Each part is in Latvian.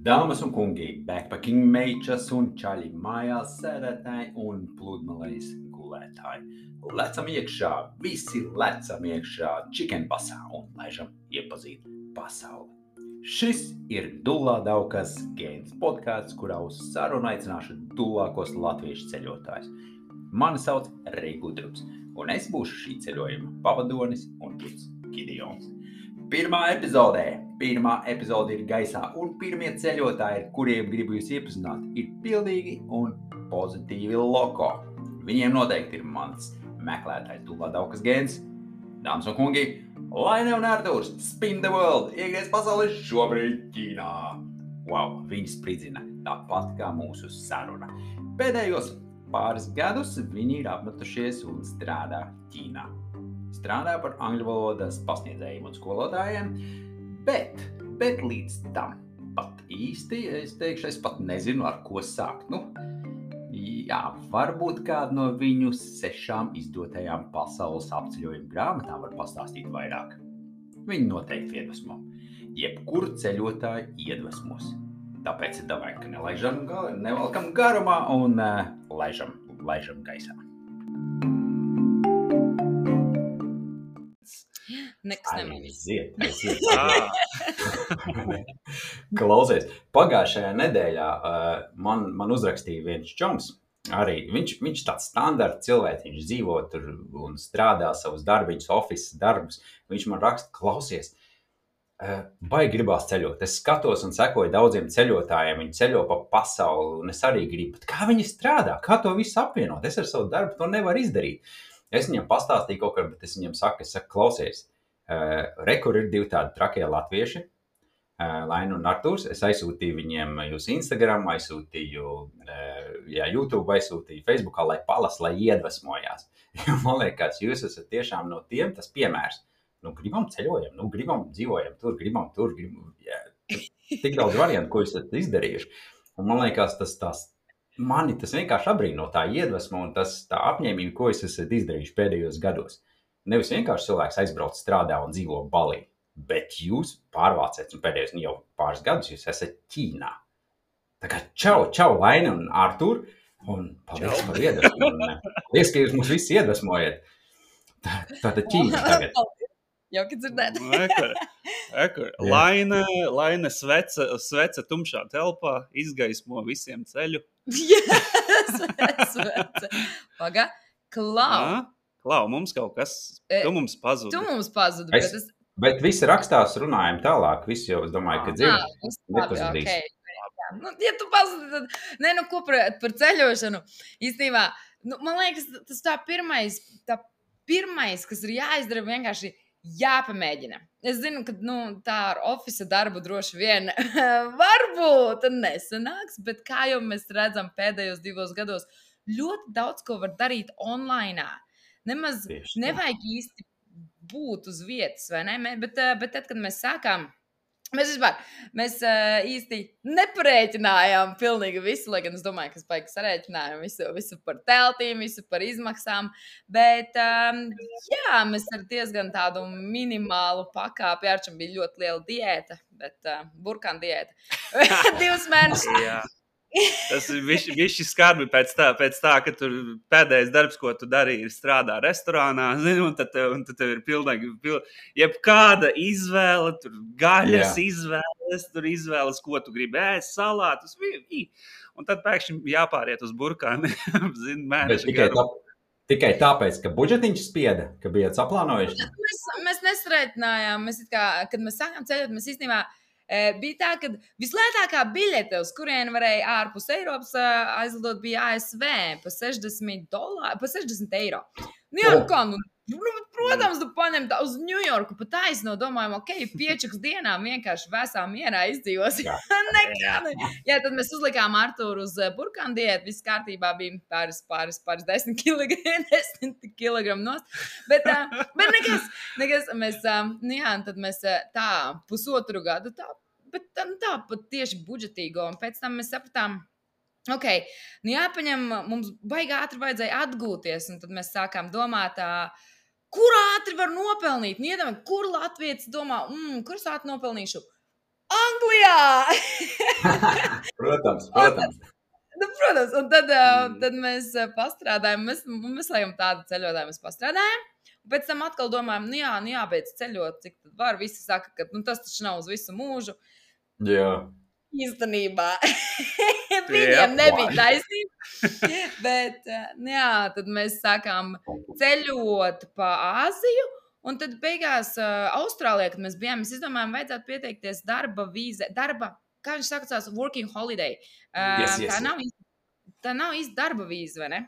Dāmas un kungi, backpacking meičas un čaļi mājās sēdētāji un pludmales gulētāji. Lecam iekšā, visi lecam iekšā chicken basā un laižam iepazīt pasauli. Šis ir Dullā Daukas Games podcasts, kurā uz sarunu aicināšu dullākos latviešu ceļotājus. Mani sauc Reigudrubs, un es būšu šī ceļojuma pavadonis un gids Gideons. Pirmā epizode ir gaisā, un pirmie ceļotāji, ar kuriem gribu jūs iepazināt, ir pildīgi un pozitīvi loko. Viņiem noteikti ir mans meklētājs Dullā Daukas Games. Dāmas un kungi, Laine un Artūrs, spin the world, iegriez pasauli šobrīd Ķīnā. Wow, viņi spridzina tāpat kā mūsu saruna. Pēdējos pāris gadus viņi ir apmetušies un strādā Ķīnā. Strādā par angļu valodas pasniedzējiem un skolotājiem, bet līdz tam pat īsti, es pat nezinu, ar ko sākt. Varbūt kādu no viņu 6 izdotajām pasaules apceļojuma grāmatām var pastāstīt vairāk. Viņi noteikti iedvesmo. Jebkuru ceļotāju iedvesmos. Tāpēc davai, ka nevalkam garumā un laižam gaisā. Nekas nemanīs. Aiziet. Klausies, pagājušajā nedēļā man uzrakstīja viens čoms. Arī viņš tāds standarta cilvēks, viņš dzīvo tur un strādā savus darbiņus, office darbus. Viņš man raksta, klausies, baigi gribās ceļot. Es skatos un sekoju daudziem ceļotājiem, viņi ceļo pa pasauli, un es arī gribu. Bet kā viņi strādā? Kā to visu apvienot? Es ar savu darbu to nevaru izdarīt. Es viņam pastāstīju kaut kā, bet es viņam saku, klausies, kur ir 2 tādi trakie latvieši, Laina un Artūrs. Es aizsūtīju viņiem jūsu Instagram, aizsūtīju YouTube, aizsūtīju Facebookā, lai palas, lai iedvesmojās. Man liekas, jūs esat tiešām no tiem tas piemērs. Gribam ceļojam, gribam dzīvojam tur, gribam tur. Tik daudz variantu, ko jūs esat izdarījuši. Un man liekas, mani tas vienkārši abrīno tā iedvesma un tā apņēmība, ko jūs esat izdarījuši pēdējos gados. Nevis vienkārši cilvēks aizbrauc, strādā un dzīvo Balī, bet jūs pārvāciet, un pēdējos jau pāris gadus jūs esat Ķīnā. Tā kā čau, Laine un Artūr, un paldies par iedvesmu. Paldies, ka jūs mūs visi iedvesmojat. Tātad Ķīna tagad. Jauki dzirdēt. Laine sveca tumšā telpā, izgaismo visiem ceļu. Sveca. Paga, Klau, mums kaut kas, tu mums pazudi. Bet Bet visi rakstās, runājam tālāk, visi jau, es domāju, ka dzird, nepazudīs. Okay. Ja tu pazudi, tad, ko par ceļošanu, īstenībā, man liekas, tas tā pirmais, kas ir jāizdara, vienkārši jāpamēģina. Es zinu, ka tā ar office darbu droši vien varbūt nesanāks, bet kā jau mēs redzam pēdējos 2 gados, ļoti daudz ko var darīt online. Nemaz nevajag īsti būt uz vietas, vai ne? Bet tad, kad mēs sākām, mēs īsti neparēķinājām pilnīgi visu, lai gan es domāju, ka es baigi sarēķinājām visu par teltīm, visu par izmaksām, bet mēs ar diezgan tādu minimālu pakāpi, Arčam bija ļoti liela diēta, bet burkāna diēta. 2 mēnešus. Tas viši skarbi pēc tā, ka tur pēdējais darbs, ko tu darīji, ir strādā restorānā, un tad tev ir pilnīgi, jebkāda izvēle, tur gaļas izvēles, tur izvēles, ko tu gribi ēst, salātus, un tad pēkšņi jāpāriet uz burkāni, mēneša garu. Tikai tāpēc, ka budžetiņš spieda, ka bijāt saplānojuši? Mēs nesrēķinājām, kad mēs sākām ceļot, mēs īstenībā bija tā, ka vislētākā biļete, uz kurienu varēja ārpus Eiropas aizlidot, bija ASV pa $60. Protams, tu paņem tā uz Ņujorku, pa taisno domājam, piečuks dienām vienkārši vēsā mierā izdzīvos. Tad mēs uzlikām Artūru uz burkānu diētu, viss kārtībā bija pāris 10 kilogramu nost. Bet nekas, mēs, tad mēs tā pusotru gadu bet tā pat tieši budžetīgo, un pēc tam mēs sapratām, jāpaņem, mums baigi ātri vajadzēja atgūties, un tad mēs sākām domāt, kur ātri var nopelnīt? Iedomājieties, kur latvietis domā, kur es ātri nopelnīšu? Anglijā! Protams. Protams, un tad mēs pastrādājam, mēs laikam tādu ceļotāju mēs pastrādājam, un pēc tam atkal domājam, jābeidz ceļot, cik tad var, visi saka, ka tas taču nav uz visu mūžu. Jā. Īstenībā viņiem nebija taisnība, bet tad mēs sākām ceļot pa Āziju, un tad beigās Austrālijā, kad mēs bijām, mēs izdomājām, vajadzētu pieteikties darba vīze, kā viņš sakās, working holiday. Yes. Tā nav īsti darba vīze, vai ne?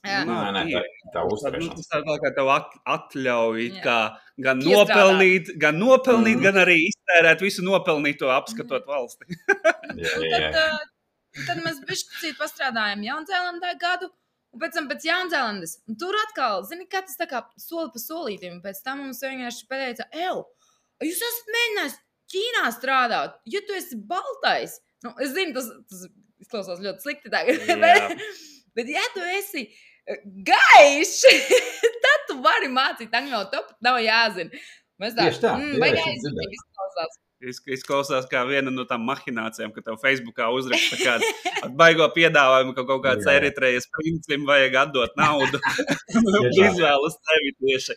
Nē, tā uzturēšanās. Tas tā kā tev atļauj gan nopelnīt, gan arī iztērēt visu nopelnīto apskatot valsti. Tad mēs bišķi pastrādājām Jaunzēlandē gadu, un pēc tam pēc Jaunzēlandes. Un tur atkal, zini, kā tas tā kā soli pa solītim, un pēc tam mums vienkārši pateica, jūs esat mēģinājis Ķīnā strādāt, ja tu esi baltais. Es zinu, tas izklausās ļoti slikti tagad, bet ja tu esi gaišs, tad tu vari mācīt angļu valodu, nav jāzina. Mēs Tieši tā. Izklausās. Izklausās kā viena no tām mahinācijām, ka tev Facebookā uzraksta kādu baigo piedāvājumu, ka kaut kāds Eritrejas princim vajag atdot naudu. Izvēlas tevi tieši.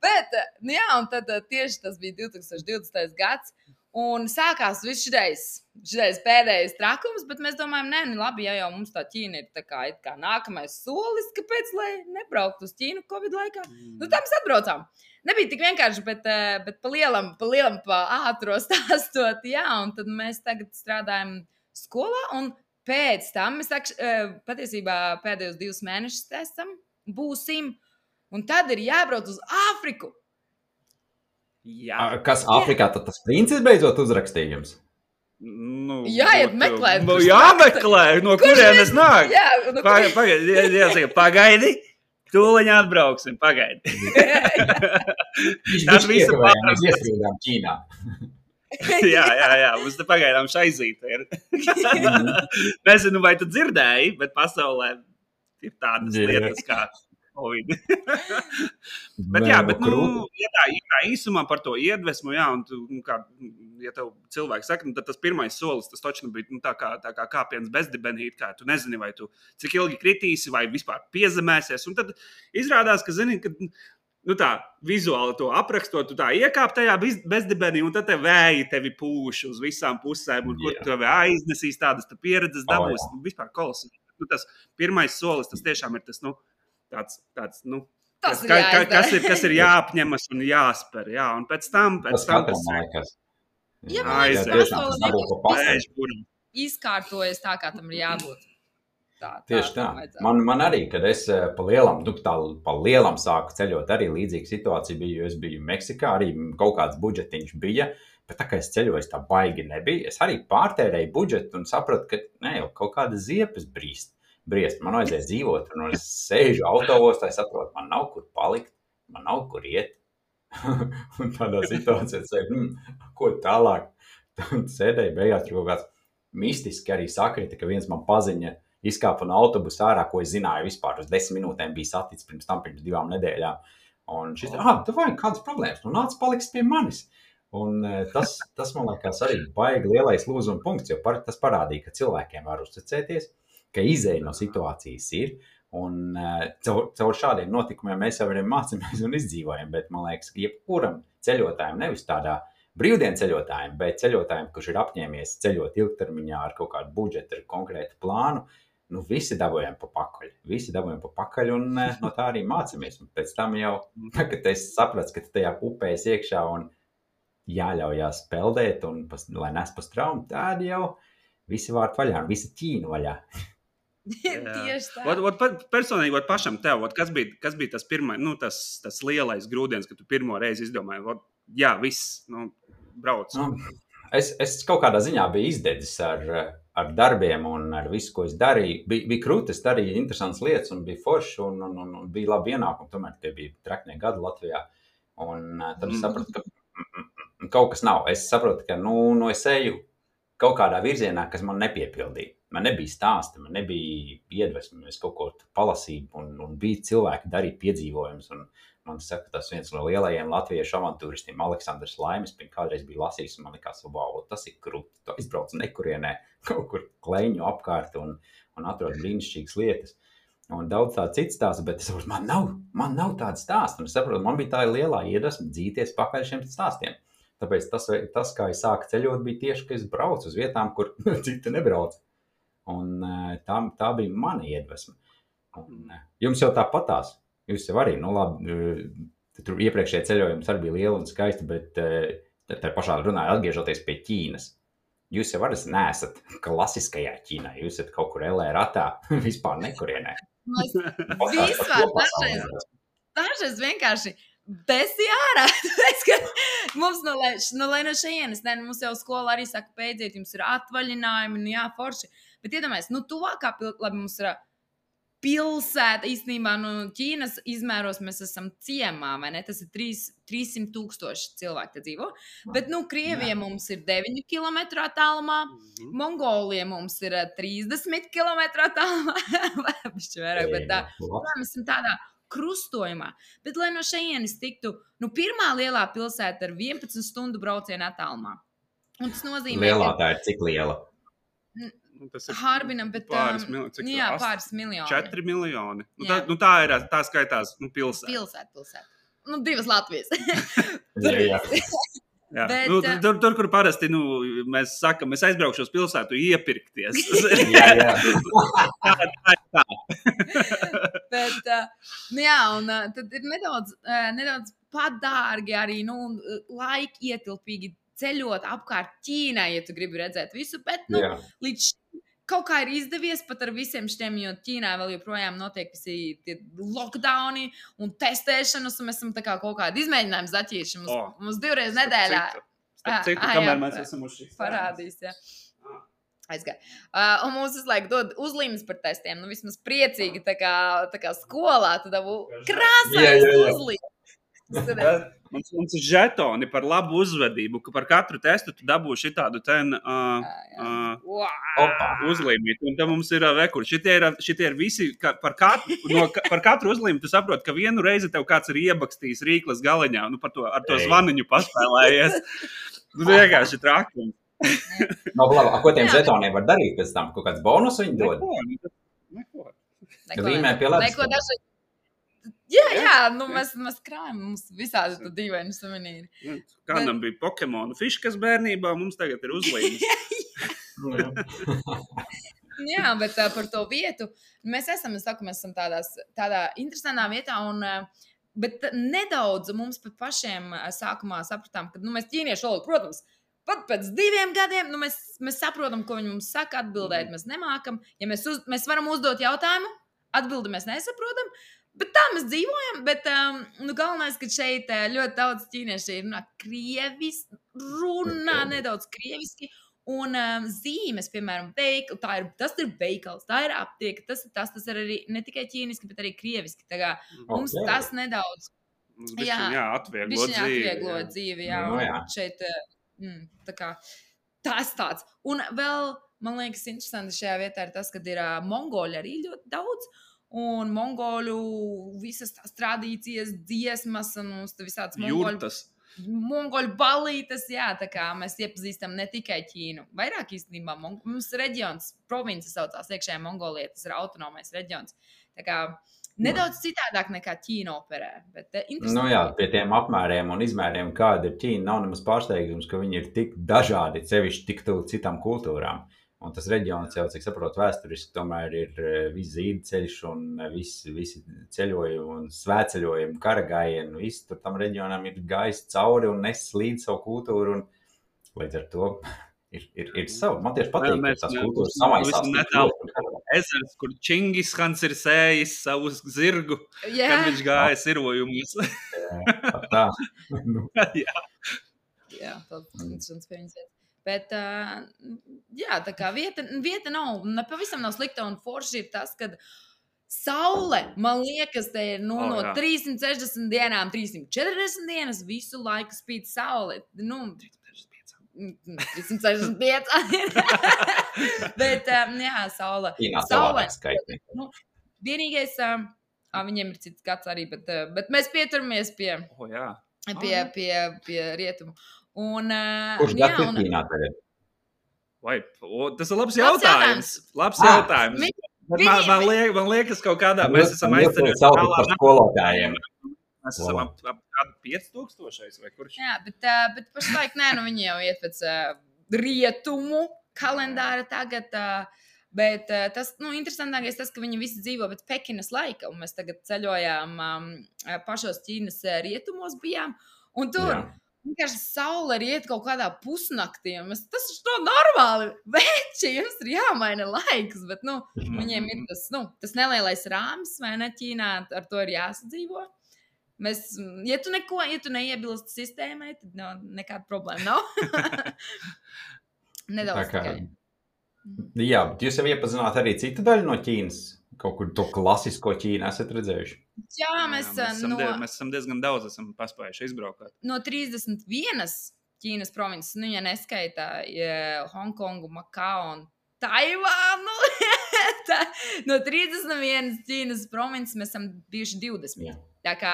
Bet, un tad tieši tas bija 2020. gads, un sākās viss šitais pēdējais trakums, bet mēs domājam, labi, ja jau mums tā Ķīna ir tā kā nākamais solis, kāpēc, lai nebrauktu uz Ķīnu Covid laikā? Tā mēs atbraucām. Nebija tik vienkārši, bet pa lielam, pa ātro stāstot, un tad mēs tagad strādājam skolā, un pēc tam mēs patiesībā pēdējos 2 mēnešus būsim, un tad ir jābrauc uz Āfriku. Jā. Kas Āfrikā tad tas princis beidzot uzrakstījums? Jāiet meklēt. Jāmeklē, no kurienes nāk. Pagaidi, tūliņ atbrauksim, pagaidi. Tas visu mēs ieskrīdām Ķīnā. Jā, mums te pagaidām šaizīte ir. Nezinu, vai tu dzirdēji, bet pasaulē ir tādas lietas kā Covid. bet īsumā par to iedvesmu, un kā, ja tev cilvēks saka, tad tas pirmais solis, tas točno bija tā kā kāpiens bezdibenīt, kā tu nezini, vai tu cik ilgi kritīsi, vai vispār piezemēsies, un tad izrādās, ka zini, ka tā vizuāli to aprakstot, tu tā iekāp tajā bezdibenī, un tad te vēji tevi pūš uz visām pusēm, un kur tevi aiznesīs tādas pieredzes dabūs, vispār kolosas. Tas pirmais solis, tas tiešām ir tas, kas ir jāapņemas un jāspēr, un pēc tam izkārtojas tā, kā tam ir jābūt. Tieši tā. Man arī, kad es pa lielam sāku ceļot, arī līdzīga situācija bija, jo es biju Meksikā, arī kaut kāds budžetiņš bija, bet tā kā es ceļoju, tā baigi nebija. Es arī pārtērēju budžetu un sapratu, ka jau kaut kāda ziepes briest. Man vajadzēja dzīvot, un es sēžu autoostā, es saprotu, man nav kur palikt, man nav kur iet. Un tādā situācijā sēju, ko tālāk? Tad sēdēju, beigās tur kaut kāds mistiski arī sakrita, ka viens man paziņa izkāpa no autobusa ārā, ko es zināju vispār uz 10 minūtēm bija saticis pirms 2 nedēļām. Un šis, tu vajag kādas problēmas, nāc paliks pie manis. Un tas man liekas arī baigi lielais lūzuma punkts, jo tas parādīja, ka cilvēkiem var uzticēties, ka izēja no situācijas ir, un caur šādiem notikumiem mēs jau arī mācāmies un izdzīvojam, bet man liekas, ka jebkuram ceļotājiem, nevis tādā brīvdienu ceļotājiem, bet ceļotājiem, kurš ir apņēmies ceļot ilgtermiņā ar kaut kādu budžetu, ar konkrētu plānu, visi dabojam pa pakaļ, un no tā arī mācāmies. Un pēc tam jau, kad es sapratu, ka tajā upē es iekšā un jāļaujās peldēt, un lai nes pa straumu, tad jau visi vārti vaļā un visi Ķīna vaļā. Tieši tā. Personīgi, pašam tev, kas bija tas pirmais, tas lielais grūdienis, kad tu pirmo reizi izdomāji, viss, brauc. Es kaut kādā ziņā biju izdedzis ar darbiem un ar visu, ko es darīju. Bija krūti, es darīju interesantas lietas un bija forši un bija labi ienākumi, tomēr tie bija traknie gadi Latvijā. Un tad es sapratu, ka kaut kas nav. Es saprotu, ka es eju kaut kādā virzienā, kas man nepiepildīja. man nebija stāsti, man nebija iedvesmi, es kaut ko palasīju un bija cilvēki darīt piedzīvojumus. Un man saka, tas viens no lielajiem latviešu avantūristiem, Aleksandrs Laimis, kādreiz bija lasījis, un man likās, wow, tas ir krūti, tu aizbrauc nekurienē, kaut kur kleņu apkārt un atrod brīnišķīgas lietas. Un daudz tādu citu stāstu, bet es saprotu, man nav tāda stāsta. Un es saprotu, man bija tā lielā iedvesma dzīties pakaļ šiem stāstiem. Tāpēc tas, kā es sāku ceļot, bija tieši, ka es braucu uz vietām, kur citi nebrauc. Un tā bija mana iedvesma. Un, jums jau tāpatās. Jūs jau arī, labi, tur iepriekšējie ceļojums arī bija lieli un skaisti, bet tā pašā runāja atgriežoties pie Ķīnas. Jūs jau arī neesat klasiskajā Ķīnā. Jūs esat kaut kur LA ratā, vispār nekurienē. Vispār dažreiz vienkārši besi ārā. Mums lai no šejienes, mums jau skola arī saka, beidziet, jums ir atvaļinājumi, jā, forši. Bet iedomājies, tuvākā labi, mums ir pilsēta, īstenībā, Ķīnas izmēros mēs esam ciemā, vai ne? Tas ir 300,000 cilvēki te dzīvo. Bet, Krievija mums ir 9 km attālumā, Mongolija mums ir 30 km attālumā, vai bišķi vairāk, bet mēs esam tādā krustojumā. Bet, lai no šejienes tiktu, pirmā lielā pilsēta ar 11 stundu braucienu attālumā. Un tas nozīmē, lielā tā ir cik liela? Tas ir Harbinam, bet pāris miljoni. jā, pāris miljoni. 4 miljoni. Tā skaitās pilsēta. Pilsēta. 2 Latvijas. Jā. Jā. Bet, Tur, kur parasti mēs sakam, mēs aizbraukšu uz pilsētu iepirkties. Jā. Tā. Bet, un tad ir nedaudz padārgi arī, laika ietilpīgi ceļot apkārt Ķīnai, ja tu gribi redzēt visu, bet, līdz kaut kā ir izdevies pat ar visiem šiem, jo Ķīnā vēl joprojām notiek visi tie lockdowni un testēšanas, un mēs esam tā kā kaut kādu izmēģinājumu zaķīši. Mums 2 reizes nedēļā. Citu, kamēr mēs esam uz šīs. Parādīs, jā. Aizgāja. Un mums visu laiku dod uzlīmes par testiem, vismaz priecīgi, tā kā skolā, tu dabu krāsais uzlīmes. Mums ir žetoni par labu uzvedību, ka par katru testu tu dabūši tādu uzlīmīt. Un tad mums ir vekur. Šitie ir visi, par katru uzlīmi tu saproti, ka vienu reizi tev kāds ir iebakstījis rīklas galeņā, ar to zvaniņu paspēlējies. Vienkārši trakums. Ko tiem žetoniem var darīt pēc tam? Kaut kāds bonus viņi dod? Neko. Līmē pie ledus. Jā, mēs krājam, mums visādi tu dīvaini suvenīri. Kādam bija Pokemonu fiškas bērnībā, mums tagad ir uzlīmes. Jā, bet par to vietu, mēs esam tādā interesantā vietā, bet nedaudz mums pat pašiem sākumā sapratām, ka mēs ķīniešu valodu, protams, pat pēc 2 gadiem, mēs saprotam, ko viņi mums saka, atbildēt mēs nemākam. Ja mēs varam uzdot jautājumu, atbildi mēs nesaprotam, bet tā mēs dzīvojam, bet galvenais, ka šeit ļoti daudz ķīnieši runā krieviski, nedaudz krieviski, un zīmes, piemēram, tas ir veikals, tā ir aptieka, tas ir arī ne tikai ķīniski, bet arī krieviski. Tā kā mums tas nedaudz atvieglo dzīvi. Jā. Šeit tā kā tas tāds. Un vēl, man liekas, interesanti šajā vietā ir tas, ka ir mongoļi arī ļoti daudz, un mongoļu visas tās tradīcijas, dziesmas un visādas mongoļu balītes, jā, tā kā mēs iepazīstam ne tikai Ķīnu. Vairāk īstenībā mums reģions, province saucās iekšējā Mongolija, tas ir autonomais reģions. Tā kā nedaudz citādāk nekā Ķīna operē, bet interesanti. Jā, pie tiem apmēriem un izmēriem, kāda ir Ķīna, nav nemaz pārsteigums, ka viņi ir tik dažādi, sevišķi tik tuvu citām kultūrām. Un tas reģions jau, cik saprotu, vēsturiski tomēr ir viss zīdceļš un visi ceļojumi un svētceļojumi, karagājieni, viss tur tam reģionam ir gājis cauri un nes līdz savu kultūru. Un līdz ar to ir savu. Man tieši patīk, ka tās kultūras samaisās. Ezers, kur Čingishans ir sējis savu zirgu, kad viņš gāja sirojumus. Tā. Jā, tāds interesants pie viņas. Bet, tā kā vieta nav, pavisam nav slikta, un forši ir tas, ka saule, man liekas, te ir no 360 dienām, 340 dienas, visu laiku spīd saule. 365. Bet, jā, saule. Ķīnā savādāk skaitni. Nu, vienīgais, viņiem ir cits gads arī, bet mēs pieturamies pie rietumu. Un, kurš gads ir Ķīnā tagad? Vai, tas ir labs jautājums. Labs jautājums. Man liekas, kaut kādā mēs esam aizcerējuši par skolotājiem. Mēs esam ap 5000 vai kurš? Jā, bet pašlaik nē, viņi jau iet pēc rietumu kalendāra tagad. Bet tas, interesantākais tas, ka viņi visi dzīvo pēc Pekinas laika, un mēs tagad ceļojām pašos Ķīnas rietumos bijām, un tur vienkārši saule riet kaut kādā pusnaktī, un tas ir normāli, veči, jums ir jāmaina laiks, bet, viņiem ir tas nelielais rāmis, vai ne, Ķīnā, ar to ir jāsadzīvo. Mēs, ja tu neiebilst sistēmai, tad nekāda problēma nav. Nedaudz tikai. Jā, bet jūs jau iepazināt arī citu daļu no Ķīnas? Kaut kur to klasisko Ķīnu esat redzējuši? Jā, mēs esam diezgan daudz paspējuši izbraukāt. No 31 Ķīnas provinces, ja neskaitā Hongkongu, Makao un Taivānu, no 31 Ķīnas provinces mēs esam bijuši 20. Jā. Tā kā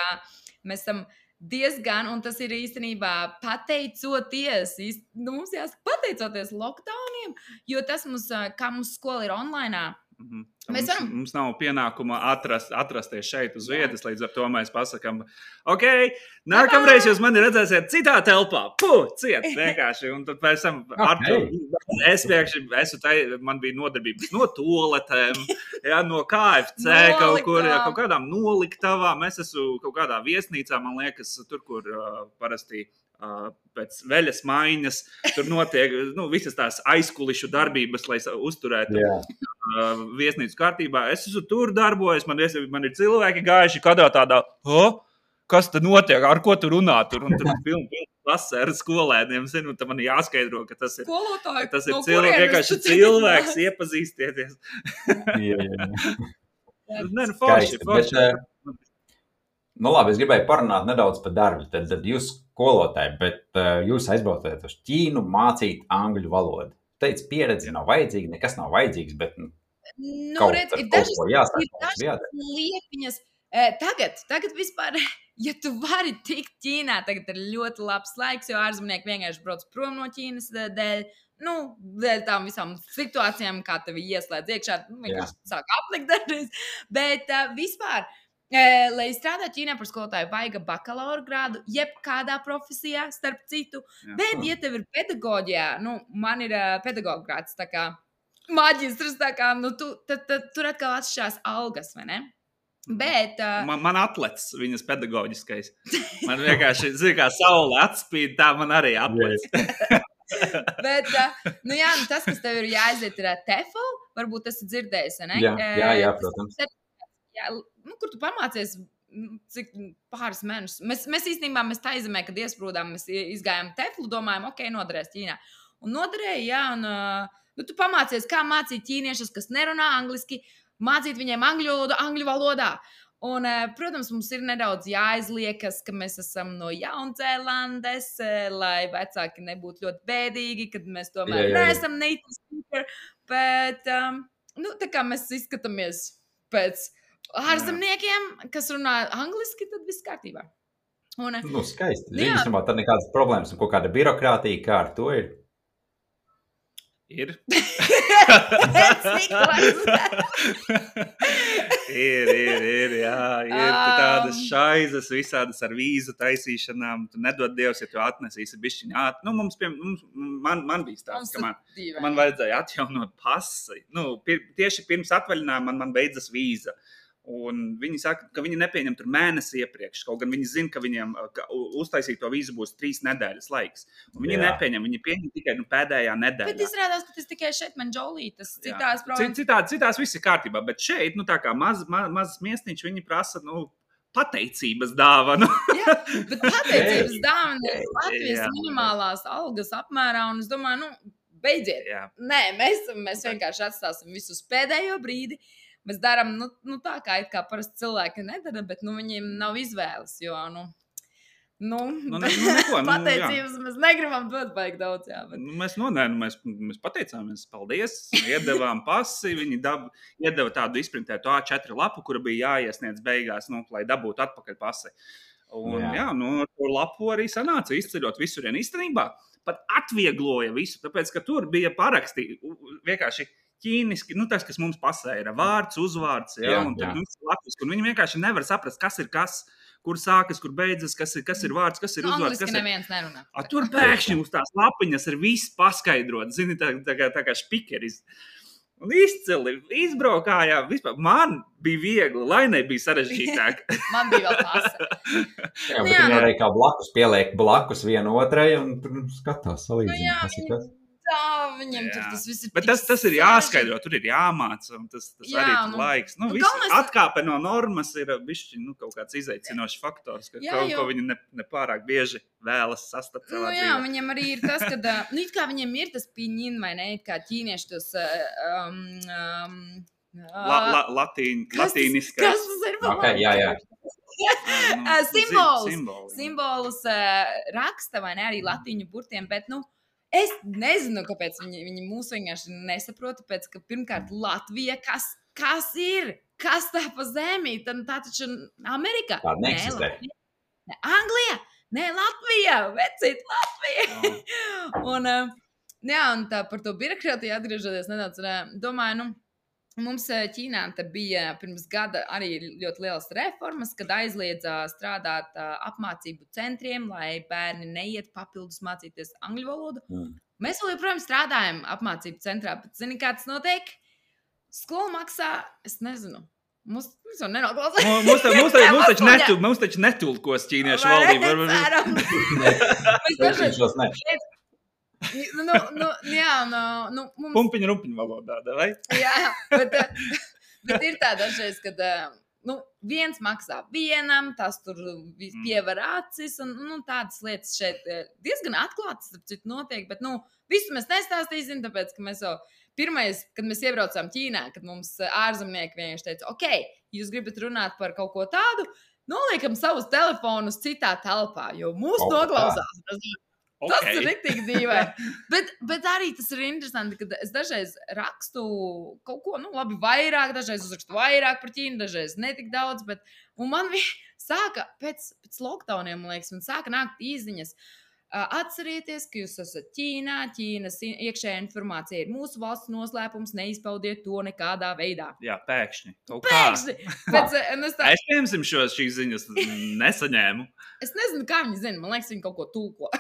mēs esam diezgan, un tas ir īstenībā pateicoties, mums jāsaka pateicoties lockdowniem, jo tas kā mums skola ir online. Mums nav pienākuma atrasties šeit uz vietas, līdz ar to mēs pasakām, ok, nākamreiz jūs mani redzēsiet citā telpā, ciet vienkārši, un tad pēc tam man bija nodarbības no toaletēm, no KFC, kaut kādām noliktavām, es esmu kaut kādā viesnīcā, man liekas, tur, kur parasti pēc veļas maiņas, tur notiek visas tās aizkulišu darbības, lai uzturētu viesnīcu kārtībā. Es esmu tur darbojies, man ir cilvēki gājuši kādā tādā, kas tad notiek, ar ko tu runā tur, un tur pilni klase ar skolēniem, un tad man jāskaidro, ka tas ir vienkārši cilvēks, iepazīstieties. Forši. Labi, es gribēju parunāt nedaudz par darbu. Tad jūs skolotāji, bet jūs aizbraucāt uz Ķīnu mācīt angļu valodu. Teicu, pieredze nav vajadzīga, nekas nav vajadzīgs, bet redz, ir dažas liepiņas. Tagad vispār, ja tu vari tikt Ķīnā, tagad ir ļoti labs laiks, jo ārzemnieki vienkārši brauc prom no Ķīnas dēļ. Dēļ tām visām situācijām, kā tevi ieslēdz iekšā, vienkārši sāk aplikt dažreiz. Bet vispār, lai strādātu Ķīnā par skolotāju, vajag bakalaura grādu, jebkādā profesijā, starp citu. Bet, ja tev ir pedagoģijā, man ir pedagoga grāds, tā kā maģistrs, tā kā, tur atkal atšķirās algas, vai ne? Bet... Man atlec viņas pedagoģiskais. Man vienkārši, kā saule atspīd, tā man arī atlec. Bet, tas, kas tev ir jāaiziet, ir TEFL, varbūt esi dzirdējis, ne? Jā, protams. Kur tu pamācies, cik pāris mēnešus. Mēs īstenībā, tā izemē, kad iesprūdām, mēs izgājām TEFLu, domājam, ok, noderēs Ķīnā. Un noderēja, un tu pamācies, kā mācīt ķīniešus, kas nerunā angliski, mācīt viņiem angļu valodā. Un, protams, mums ir nedaudz jāizliekas, ka mēs esam no Jaunzēlandes, lai vecāki nebūtu ļoti bēdīgi, kad mēs tomēr neesam native speaker, bet, tā kā mēs izskatāmies pēc ārzemniekiem, kas runā angliski, tad viss kārtībā. Un, skaisti. Īstenībā tad nekādas problēmas un kaut kāda birokrātija, kā ar to ir? Ir. Ir, jā. Ir tādas šaizes, visādas ar vīzu taisīšanām. Tu nedod Dievs, ja tu atnesīsi bišķiņu ātri. Man bija stāsts, ka man vajadzēja atjaunot pasi. Tieši pirms atvaļinājuma man beidzas vīza. Un viņi saka, ka viņi nepieņem tur mēnesi iepriekš, kaut gan viņi zina, ka viņiem uztaisīt to vīzu būs 3 nedēļas laiks. Un viņi nepieņem, viņi pieņem tikai pēdējā nedēļā. Bet izrādās, ka tas tikai šeit man džolītas, citās problēmas. Citās viss ir kārtībā, bet šeit, tā kā mazs miestiņš, viņi prasa, pateicības dāvanu. Jā, bet pateicības dāvana ir Latvijas minimālās algas apmērā, un es domāju, beidziet. Jā. Nē, mēs vienkārši atstāsim visus pēdējo brīdi. Mēs darām, tā kā parasti cilvēki nedara, bet, viņiem nav izvēles, jo, neko. Pateicības mēs negribam dot baigi daudz, jā. Bet... Mēs pateicāmies, paldies, iedevām pasi, viņi iedeva tādu izprintētu A4 lapu, kura bija jāiesniedz beigās, lai dabūtu atpakaļ pasi. Un ar to lapu arī sanāca izceļot visurien īstenībā. Pat atviegloja visu, tāpēc, ka tur bija paraksti vienkārši ķīniski, tas, kas mums pasē, ir vārds, uzvārds, un tad latviski, un viņi vienkārši nevar saprast, kas ir kas, kur sākas, kur beidzas, kas ir vārds, kas ir uzvārds. Angliski neviens nerunā. Tur pēkšņi uz tās lapiņas ir viss paskaidrot, zini, tā kā špikeris. Un izcili, izbraukājām, vispār. Man bija viegli, lai nebija sarežģītāk. Man bija vēl pasa. Jā, bet viņi arī kā blakus pieliek blakus vienu otrai un skatās salīdzina, kas ir kas. Viņam tur tas viss ir. Bet tas ir jāskaidro, tur ir jāmāca, un tas arī ir laiks. Atkāpe no normas ir bišķi, kaut kāds izaicinošs faktors, ko viņi nepārāk bieži vēlas sastapt savā dzīvē. Jā, viņam arī ir tas, ka, it kā viņiem ir tas piņin, vai ne, it kā ķīnieši tos... latīniskais. Kas tas ir? Okay, jā. Simbolus raksta, vai ne, arī latīņu burtiem, bet, es nezinu, kāpēc viņi mūs vienkārši nesaprot, tāpēc, ka pirmkārt Latvija, kas ir? Kas tā pa zemi? Tā taču Amerika? Tā neeksistē. Anglija? Nē, Latvija! Vecīt, Latvija! Un tā par to birokrātiju atgriežoties nedaudz, domāju, mums Ķīnā bija pirms gada arī ļoti lielas reformas, kad aizliedza strādāt apmācību centriem, lai bērni neiet papildus mācīties angļu valodu. Mēs vēl joprojām strādājam apmācību centrā, bet zini, kā tas notiek? Skola maksā, es nezinu. Mums jau nenoklausās. Mums taču netulkos ķīniešu valdību. Pumpiņu rumpiņu valodā, vai? Jā, bet ir tā dažreiz, kad viens maksā vienam, tas tur pievar acis, un tādas lietas šeit diezgan atklātas, starp citu notiek, bet visu mēs nestāstīsim, tāpēc, ka mēs jau pirmais, kad mēs iebraucām Ķīnā, kad mums ārzemnieki vienkārši teica, ok, jūs gribat runāt par kaut ko tādu, noliekam savus telefonus citā telpā, jo mūs noklausās. Tas ir riktīgi dīvaini. Bet arī tas ir interesanti, ka es dažreiz rakstu kaut ko, labi, vairāk, dažreiz uzrakstu vairāk par Ķīnu, dažreiz netik daudz, un man sāka pēc lockdowniem, man liekas, man sāka nākt īziņas. Atcerieties, ka jūs esat Ķīnā, Ķīnas iekšējā informācija ir mūsu valsts noslēpums, neizpaudiet to nekādā veidā. Jā, pēkšņi. Es piemēram šīs ziņas nesaņēmu. Es nezinu, kā viņi zina, man liekas, viņi kaut ko tulko.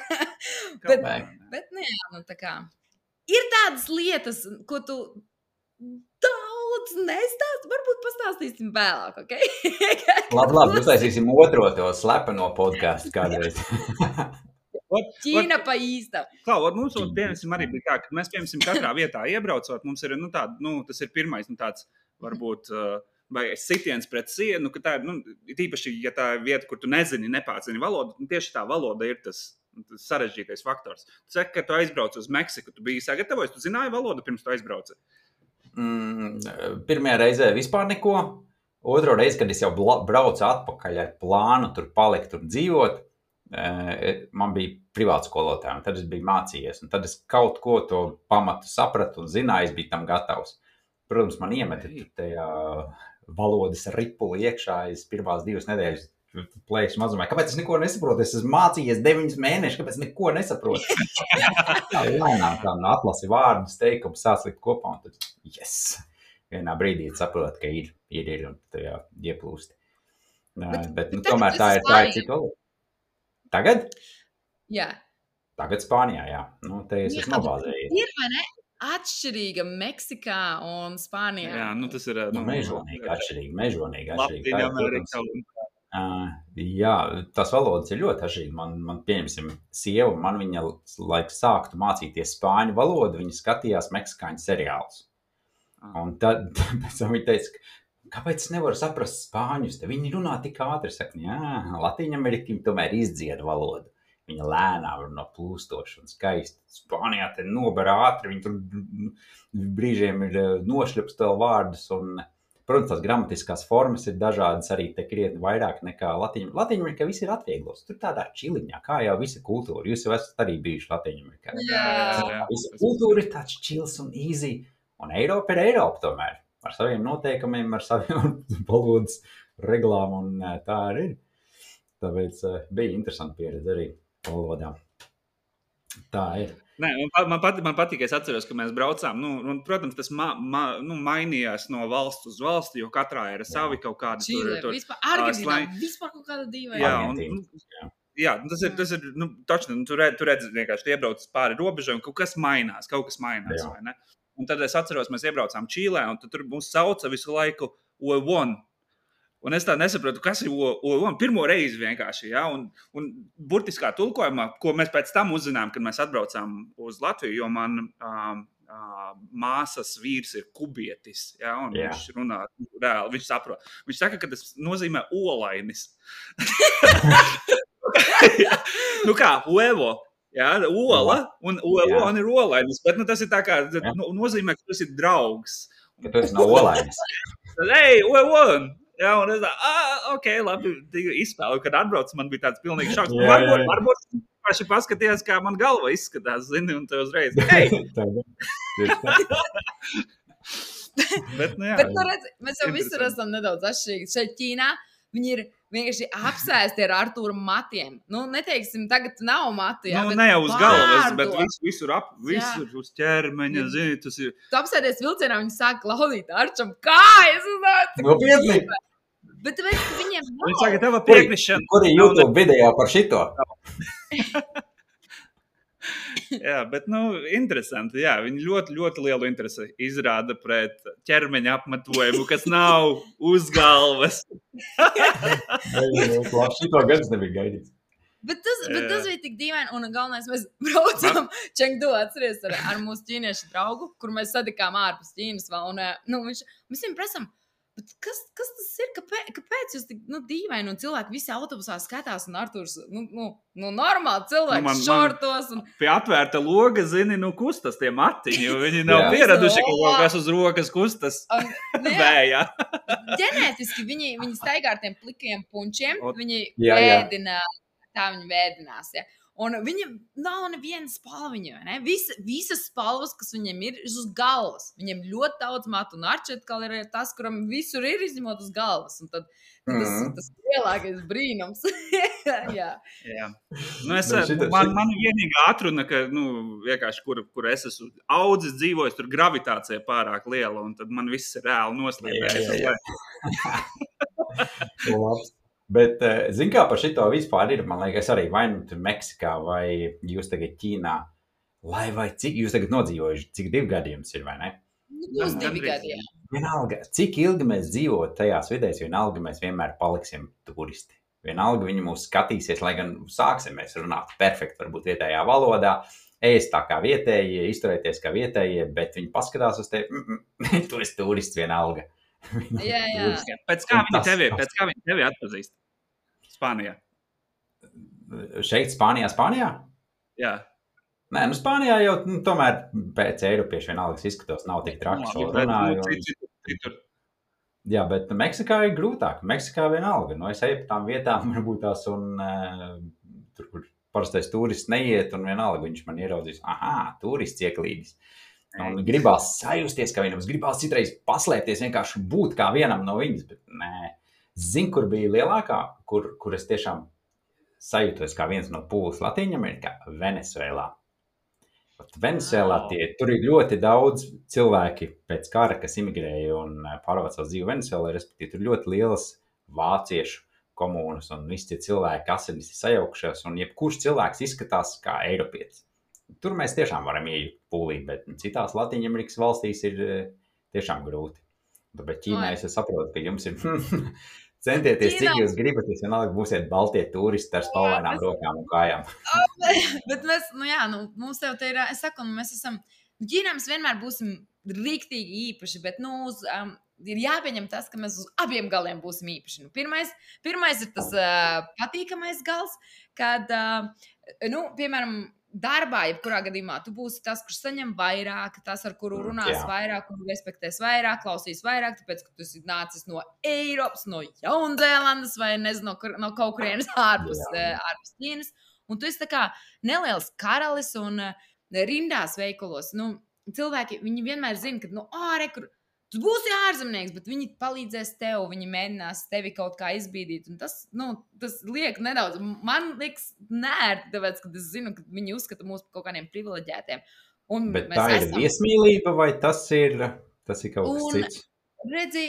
bet tā kā. Ir tādas lietas, ko tu daudz nestāst, varbūt pastāstīsim vēlāk, ok? Labi, uztaisīsim otro to slepeno podcastu kādreiz. Ķīna pa īstam. Mums piemēram arī bija tā, ka mēs piemēram katrā vietā iebraucot, mums ir tas ir pirmais tāds varbūt vai sitiens pret sienu, ka tā ir tīpaši, ja tā ir vieta, kur tu nepārzini valodu, tieši tā valoda ir tas sarežģītais faktors. Tu saki, ka tu aizbrauc uz Meksiku, tu biji sagatavojis, tu zināji valodu pirms tu aizbrauci? Pirmajā reizē vispār neko. Otro reizi, kad es jau braucu atpakaļ ar plānu tur palikt un dzīvot, man bija privāts skolotāji, un tad es biju mācījies, un tad es kaut ko to pamatu sapratu un zināju, es biju tam gatavs. Protams, man iemeta tajā valodas ripuli iekšā, es pirmās 2 nedēļas plēkšu mazumā. Kāpēc es neko nesaprotu? Es esmu mācījies 9 mēnešus, kāpēc neko nesaprotu? Lēnām tā atlasi vārdus, teikumus, sāc likt kopā, un tad, yes! Vienā brīdī saprot, ka ir, un tajā ieplūsti. Bet tomēr tā ir cita valoda. Tagad? Jā. Tagad Spānijā, jā. Te es esmu nobāzējies. Ir, vai ne? Atšķirīga Meksikā un Spānijā. Jā, tas ir... mežonīgi atšķirīgi. Jā, tās valodas ir ļoti atšķirīgi. Man pieņemsim, sieva, man viņa, lai sāktu mācīties spāņu valodu, viņa skatījās meksikāņu seriālus. Un tad pēc tam viņa teica, kāpēc es nevaru saprast spāņus? Te viņi runā tik ātri, saka, jā, Latīņamerikam tomēr izdzied valodu. Viņa lēnām runā plūstoši un skaisti. Spānijā te nober ātri, viņi tur brīžiem ir nošļups tev vārdus un Protams, tās gramatiskās formas ir dažādas arī te krietni vairāk nekā Latīņa. Latīņamerikā viss ir atvieglos. Tur tādā čiliņā, kā jau visa kultūra. Jūs jau esat arī bijuši Latīņamerikā. Visa kultūra ir tāds čils un easy. Un Eiropa ir Eiropa tomēr. Ar saviem noteikumiem, ar saviem valodas reglām un tā arī ir. Tāpēc bija interesanti pieredze arī valodā. Tā ir. Nē, man patīk, es atceros, ka mēs braucām. Protams, tas mainījās no valsts uz valsti, jo katrā ir savi kaut kādi tur Argentīnā, vispār kaut kāda dīvaina. Jā, tas ir taču, tu redzi vienkārši iebrauc pāri robežai un kaut kas mainās, vai ne? Un tad es atceros, mēs iebraucām Čīlē, un tur mūs sauca visu laiku O1. Un es tā nesaprotu, kas ir O1 pirmo reizi vienkārši, ja? Un burtiskā tulkojumā, ko mēs pēc tam uzzinām, kad mēs atbraucām uz Latviju, jo man māsas vīrs ir kubietis, ja? Un viņš runā reāli, viņš saprot. Viņš saka, ka tas nozīmē olainis. Kā, uevo. Jā, ola un O1 ir olainis, bet tas ir tā kā, nozīmē, ka tas ir draugs. Ka tas nav olainis. Hey, O1! Jā, un es ok, labi, izspēlu, kad atbraucu, man bija tāds pilnīgi šoks. Varbūt paši paskatījās, kā man galva izskatās, zini, un te uzreiz, hei! Bet redz, mēs jau visur esam nedaudz atšķirīgi. Šeit Ķīnā viņi ir vienkārši apsēsti ar Artūra matiem. Neteiksim, tagad nav matu, jā, bet ne jau uz galvas, bet visur uz ķermeņa, zini, tas ir. Tu apsēdies vilcienā, viņi sāk laudīt Arčam kājas, Nopietni! Bet viņiem nav. Viņi saka, tev piekrišana. Kur ir YouTube video par šito? Jā, bet, interesanti, jā, viņi ļoti, ļoti lielu interesi izrāda pret ķermeņa apmetojumu, kas nav uz galvas. Šito gadus nebija gaidīts. Bet tas bija tik dīvaini, un galvenais, mēs braucam Čengdu, atceries ar mūsu ķīniešu draugu, kur mēs satikām ārpus Ķīnas vēl, un mēs viņam prasam, bet kas tas ir? Kāpēc jūs tik dīvaini un cilvēki visi autobusā skatās un Artūrs, normāli cilvēki šortos. Pie atvērta loga, zini, kustas tie matiņi, jo viņi nav pieraduši, ka kaut kas uz rokas kustas vējā. Ģenētiski viņi staigā ar tiem plikajiem punčiem, viņi vēdina, tā viņi vēdinās, ja. Un viņam nav neviena spalviņa, ne? Visas spalvas, kas viņiem ir uz galvas. Viņiem ļoti daudz matu, un Arčetkal ir tas, kuram visur ir izņemot uz galvas. Un tad tas lielākais brīnums. Jā. Man vienīgā atruna, ka, vienkārši, kur es esmu audzis, dzīvojis, tur gravitācija pārāk liela, un tad man viss ir reāli noslīdējis. Labs. Bet, zin kā par šito vispār ir, man liekas, arī vai tur Meksikā, vai jūs tagad Ķīnā, vai cik jūs tagad nodzīvojuši, cik 2 gadi jums ir, vai ne? Būs 2 gadi, jā. Vienalga, cik ilgi mēs dzīvot tajās vidēs, vienalga mēs vienmēr paliksim turisti. Vienalga viņi mūs skatīsies, lai gan sāksim mēs runāt perfekti, varbūt vietējā valodā, ēst tā kā vietējie, izturēties kā vietējie, bet viņi paskatās uz tevi, tu esi turists vienalga. Jā. Pēc kā viņi tevi atpazīst? Spānijā. Šeit Spānijā? Jā. Nē, Spānijā jau tomēr pēc eiropiešu vienalgas izskatos, nav tik traki šo runāju. Jā, bet Meksikā ir grūtāk. Meksikā vienalga. Es eju pa tām vietām, varbūt tās, un tur, kur parastais turists neiet, un vienalga viņš man ieraudzīs, turists ieklīdis. Un gribās sajusties, kā viņam, gribās citreiz paslēpties, vienkārši būt kā vienam no viņas, bet nē. Zin, kur bija lielākā, kur es tiešām sajūtos kā viens no pūles Latīņamerikā, Venezuelā. Venezuelā tur ir ļoti daudz cilvēki pēc kara, kas imigrēja un pārvāc savu dzīvi Venezuelā, respektīvi tur ļoti lielas vāciešu komūnas un visi tie cilvēki asinis ir sajaukšies, un jebkurš cilvēks izskatās kā eiropietis. Tur mēs tiešām varam iejūt pūlī, bet citās Latīņamerikas valstīs ir tiešām grūti. Tāpēc Ķīnā es saprotu, ka jums ir centieties, cik jūs gribat, jūs vienalga būsiet baltie turisti ar spalvainām rokām un kājām. Bet mēs, mums tev te ir, es saku, mēs esam, Ķīnā mēs vienmēr būsim riktīgi īpaši, bet, ir jāpieņem tas, ka mēs uz abiem galiem būsim īpaši. Pirmais ir tas patīkamais gals, kad, piemēram, darbā, jebkurā gadījumā, tu būsi tas, kurš saņem vairāk, tas, ar kuru runās vairāk, kuru respektēs vairāk, klausīs vairāk, tāpēc, ka tu esi nācis no Eiropas, no Jaunzēlandes vai nezinu, no kaut kurienes ārpus Ķīnas. Un tu esi tā kā neliels karalis un rindās veikalos. Nu, cilvēki, viņi vienmēr zina, ka, tu būsi ārzemnieks, bet viņi palīdzēs tev, viņi mēģinās tevi kaut kā izbīdīt. Un tas liek nedaudz, man liekas nērti, tāpēc, ka es zinu, ka viņi uzskata mūs par kaut kādiem privileģētiem. Bet tā ir viesmīlība vai tas ir kaut kas cits? Redzi,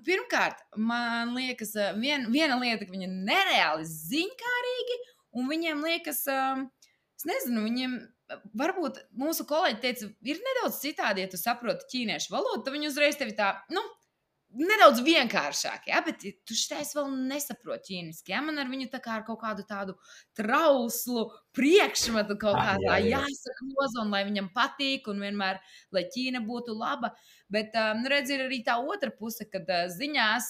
pirmkārt, man liekas, viena lieta, ka viņi nereāli ziņkārīgi, un viņiem liekas, es nezinu, viņiem... Varbūt mūsu kolēģi teica, ir nedaudz citādi, ja tu saproti ķīniešu valodu, tad viņi uzreiz tevi tā, nedaudz vienkāršāk, bet tu šitais vēl nesaproti ķīniski, man ar viņu tā kā ar kaut kādu tādu trauslu priekšmetu kaut kā tā jāsakloza, un lai viņam patīk, un vienmēr, lai Ķīna būtu laba, bet, redz, ir arī tā otra puse, kad ziņās,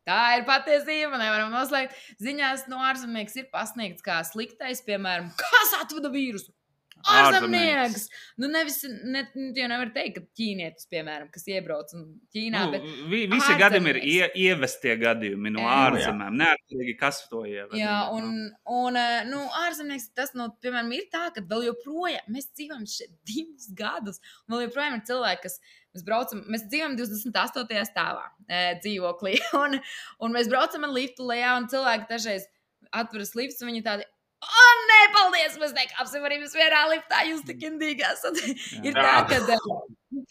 tā ir patiesība, nevaram noslēgt, ziņās no ārzemnieks ir pasniegts kā sliktais, piemēram, kas atveda vīrusu? Ārzemnieks! Jau nevar teikt, ka ķīnietis, piemēram, kas iebrauc Ķīnā, bet visi gadījumi ir ievestie gadījumi no ārzemēm, neatkarīgi, kas to ieved. Jā, un ārzemnieks tas, piemēram, ir tā, ka vēl joprojām, mēs dzīvojam šeit 2 gadus, un vēl joprojām ir cilvēki, kas mēs dzīvojam 28. stāvā dzīvoklī, un mēs braucam ar liftu lejā, un cilvēki dažreiz atveras lifts, un viņi tādi, nē, paldies, mēs nekāpsim arī mēs vienā liftā, jūs tik indīgi esat. Ir tā, ka,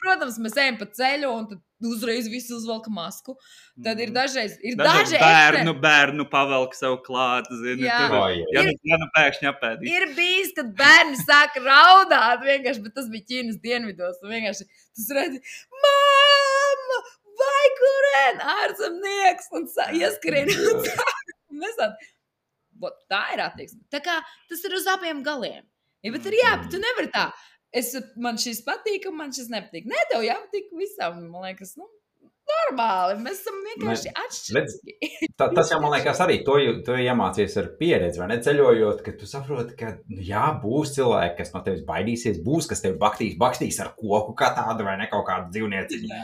protams, mēs ejam pa ceļu, un tad uzreiz visi uzvelka masku. Tad ir dažreiz bērnu pavelk sev klāt, zini. Ja pēkšņi apēdīs. Ir bijis, kad bērni sāka raudāt vienkārši, bet tas bija Ķīnas dienvidos. Vienkārši tas redzi, mamma, vai kurien ārzemnieks, un ieskrien. Un mēs tādi. Tā ir attieksme. Tā kā tas ir uz abiem galiem. Bet tu nevari tā. Man šis patīk, un man šis nepatīk. Nē, tev jāpatīk visam. Man liekas, normāli. Mēs esam vienkārši atšķirīgi. Tas jau, man liekas, arī to iemācies ar pieredzi, vai ne? Ceļojot, ka tu saproti, ka, būs cilvēki, kas no tevis baidīsies, būs, kas tevi bakstīs ar koku kā tādu, vai ne, kaut kādu dzīvnieciņu.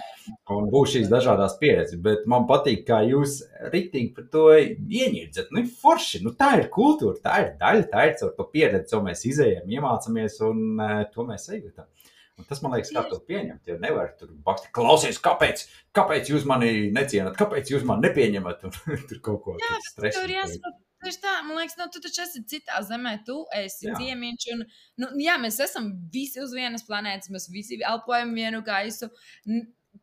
Un būs šīs dažādās pieredzes, bet man patīk, kā jūs riktīgi par to ieņirdzat. Forši, tā ir kultūra, tā ir daļa, tā ir caur to pieredzi, ko mēs izējam, iemācamies, un to mēs sajūtam. Un tas, man liekas, kā to pieņemt, jo nevar tur bakstīt, klausies, kāpēc jūs mani necienat, kāpēc jūs mani nepieņemat, un tur kaut ko stresu. Tur jāsaprot, tieši tā, man liekas, tu taču esi citā zemē, tu esi ciemiņš, un, mēs esam visi uz vienas planētas, mēs visi elpojam vienu gaisu,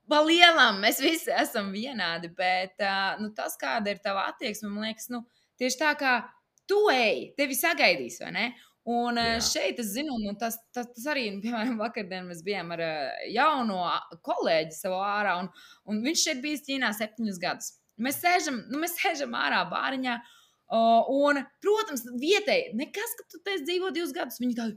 pa lielām mēs visi esam vienādi, bet tas, kāda ir tava attieksme, man liekas, tieši tā kā tu ej, tevi sagaidīs, vai ne? Un šeit es zinu, tas arī, piemēram, vakardien mēs bijām ar jauno kolēģi savu ārā, un viņš šeit bijis Ķīnā 7 gadus. Mēs sēžam ārā bāriņā, un, protams, vietēji, nekas, ka tu te dzīvo 2 gadus, viņi tādi,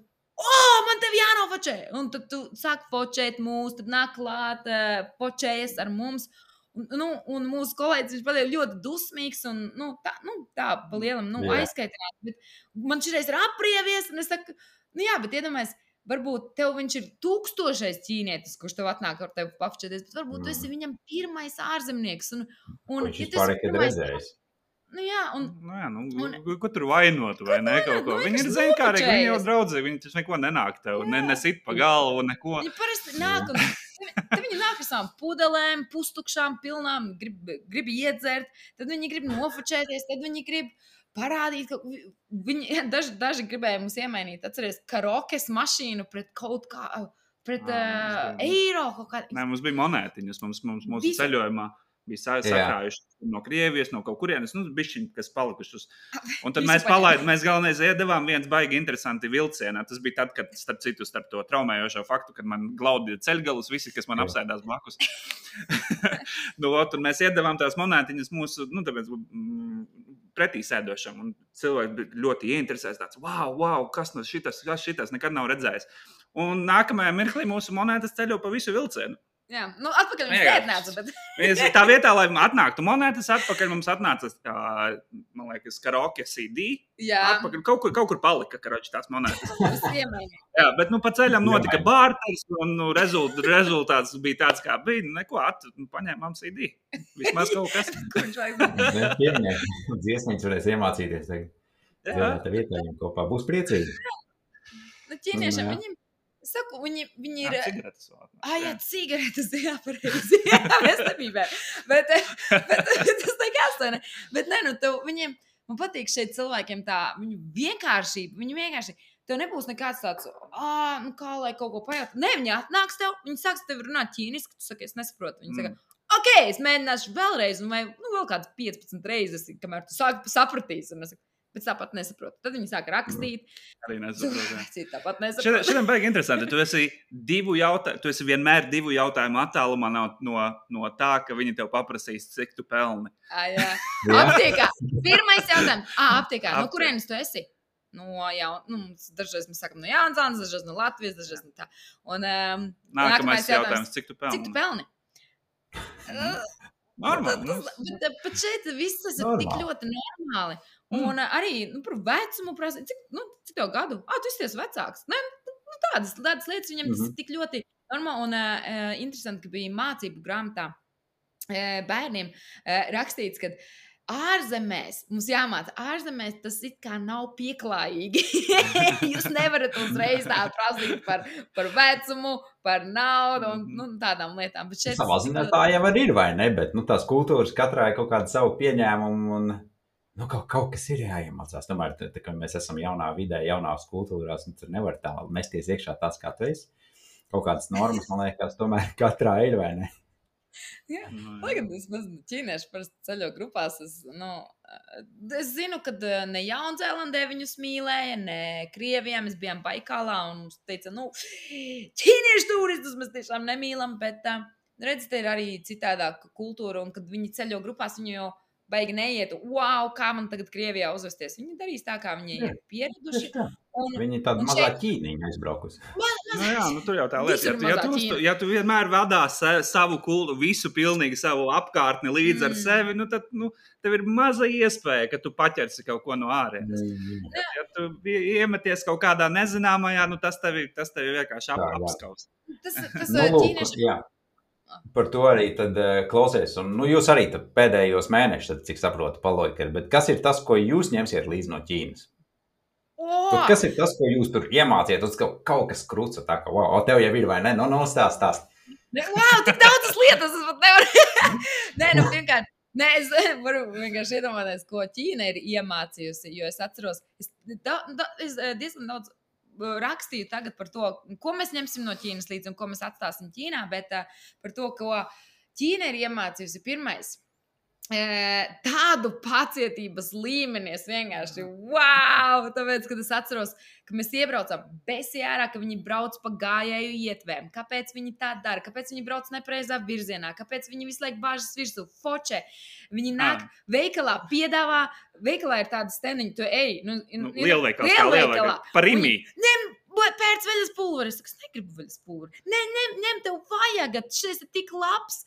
man tev jānofočē! Un tad tu sāk fočēt mūs, tad nāk klāt, fočējas ar mums. Un mūsu kolēģis, viņš pateica ļoti dusmīgs un, tā pa lielam, aizskaitināt. Bet man šitais ir aprievies, un es saku, bet iedomājies, varbūt tev viņš ir 1000 ķīnietis, kurš tev atnāk ar tevi pafočēties, bet varbūt tu esi viņam pirmais ārzemnieks. Viņš vispār nekad redzējis. Ko tur vainot, vai ne, kaut ko? Viņi ir zinkārīgi, viņi jau draudzīgi, viņi taču neko nenāk tev, nesit pa galvu, neko. Viņi parasti nāk, un tad viņi nāk ar savām pudelēm, pustukšām, pilnām, grib iedzert, tad viņi grib nofočēties, tad viņi grib parādīt, ka viņi, daži gribēja mums iemainīt, atceries, karokes mašīnu pret kaut kā, pret eiro kaut kā. Nē, mums bija monētiņas, mūsu ceļojumā. Bija sakrājuši no Krievijas, no kaut kurienes, bišķiņi, kas palikušus. Un tad mēs galvenais iedevām viens baigi interesanti vilcienā. Tas bija tad, kad, starp to traumējošo faktu, kad man glaudīja ceļgalus, visi, kas man apsēdās blakus. Un mēs iedevām tās monētiņas mūsu, tāpēc pretī sēdošam. Un cilvēki bija ļoti ieinteresēts tāds, wow, kas šitas nekad nav redzējis. Un nākamajā mirklī mūsu monētas ceļo pa visu vilcienu. Jā, atpakaļ viņš neatnāca, bet... Tā vietā, lai atnāktu monētas atpakaļ, mums atnāca, man liekas, karaoke CD. Jā. Atpakaļ, kaut kur palika, karoči, tās monētas. Jā, bet, pa ceļam notika bārters, un rezultāts bija tāds, kā bija. Neko, paņēmām CD. Vismaz kaut kas. Ko viņš vajag? Dziesmīgs varēs iemācīties tagad. Jā. Tā vietā viņam kopā būs priecīgi. Ķīniešiem, viņiem... Es saku, viņi ir... Cigaretes vēl. Jā, cigaretes, jā, pareizi. Jā, mēs nebijām. Bet tas nekas tā, ne? Bet ne, viņiem, man patīk šeit cilvēkiem tā, viņu vienkāršība, tev nebūs nekāds tāds, kā lai kaut ko pajaut. Ne, viņi atnāks tev, viņi sāks tev runāt ķīniski, tu saki, es nesaprotu. Viņi saka, ok, es mēģināšu vēlreiz, un vai vēl kāds 15 reizes, kamēr tu sapratīsi. Un es saku, bet tāpat nesaprotu. Tad viņi sāk rakstīt. Arī nesaprotu. Tāpat nesaprotu. Šodien baigi interesanti. Tu esi vienmēr 2 jautājumu attālumā no tā, ka viņi tev paprasīs, cik tu pelni. Jā. Aptiekā. Pirmais jautājums. Aptiekā. No kurienes tu esi? Dažreiz mēs sakam no Jaunzānas, dažreiz no Latvijas, dažreiz no tā. Un, nākamais jautājums, cik tu pelni? Cik tu pelni? Normāli. Bet šeit viss tas ir tik ļoti normāli. Un arī par vecumu prasa, cik tev gadu? Tu esi vecāks. Ne, tādas lietas viņam tas ir tik ļoti normāli. Un interesanti, ka bija mācību grāmatā bērniem rakstīts, ka ārzemēs, mums jāmāca, ārzemēs tas it kā nav pieklājīgi. Jūs nevarat uzreiz tā prasīt par vecumu, par naudu un tādām lietām. Bet šeit savā ziņā tā jau ir, vai ne? Bet tās kultūras katrā ir kaut kāda savu pieņēmumu un kaut kas ir jāiemācās. Tomēr, tā kā mēs esam jaunā vidē, jaunās kultūrās, tur nevar tā mesties iekšā tāds, kā tu esi. Kaut kādas normas, man liekas, tomēr katrā ir, vai ne? Jā, lai gan es ķīnieši parasti ceļo grupās, es zinu, ka ne Jaunzēlandē viņus mīlēja, ne Krievijā, mēs bijām Baikālā un mums teica, ķīniešu turistus mēs tiešām nemīlam, bet redz, te ir arī citādāka kultūra un kad viņi ceļo grupās, viņi jau baigi neiet, kā man tagad Krievijā uzvesties. Viņi darīs tā, kā viņi ir pieraduši. Viņi tāda mazā ķīniņa aizbraukusi. Tur jau tā lieta. Ja tu vienmēr vadā savu visu pilnīgi savu apkārtni līdz ar sevi, tad tev ir maza iespēja, ka tu paķersi kaut ko no ārēnes. Ja tu iemeties kaut kādā nezināmajā, tas tevi vienkārši apskaus. Tas ķīnieši... Par to arī tad klausies. Un, jūs arī pēdējos mēnešus, cik saprotu, paloikat. Bet kas ir tas, ko jūs ņemsiet līdzi no Ķīnas? Kas ir tas, ko jūs tur iemāciet? Tas kaut kas kruca tā, ka, tev jau ir vai ne? Stāst. Tik daudzas lietas, es pat nevaru. Vienkārši. Es varu vienkārši iedomāties, ko Ķīna ir iemācījusi, jo es atceros, es diezgan daudz rakstīju tagad par to, ko mēs ņemsim no Ķīnas līdzi un ko mēs atstāsim Ķīnā, bet par to, ko Ķīna ir iemācījusi pirmais. Tādu pacietības līmeni es vienkārši, tāpēc, kad es atceros, ka mēs iebraucam besjārā, ka viņi brauc pa gājēju ietvēm. Kāpēc viņi tā dara? Kāpēc viņi brauc nepreizā virzienā? Kāpēc viņi visu laiku bāžas virsū? Foče. Viņi nāk veikalā, piedāvā, veikalā ir tāda stendiņa, tu ej. Lielveikalā. Par imī. Pērc veļas pulveri. Es saku, es negribu veļas pulveri. Ņem, tev vajag, šis ir tik labs.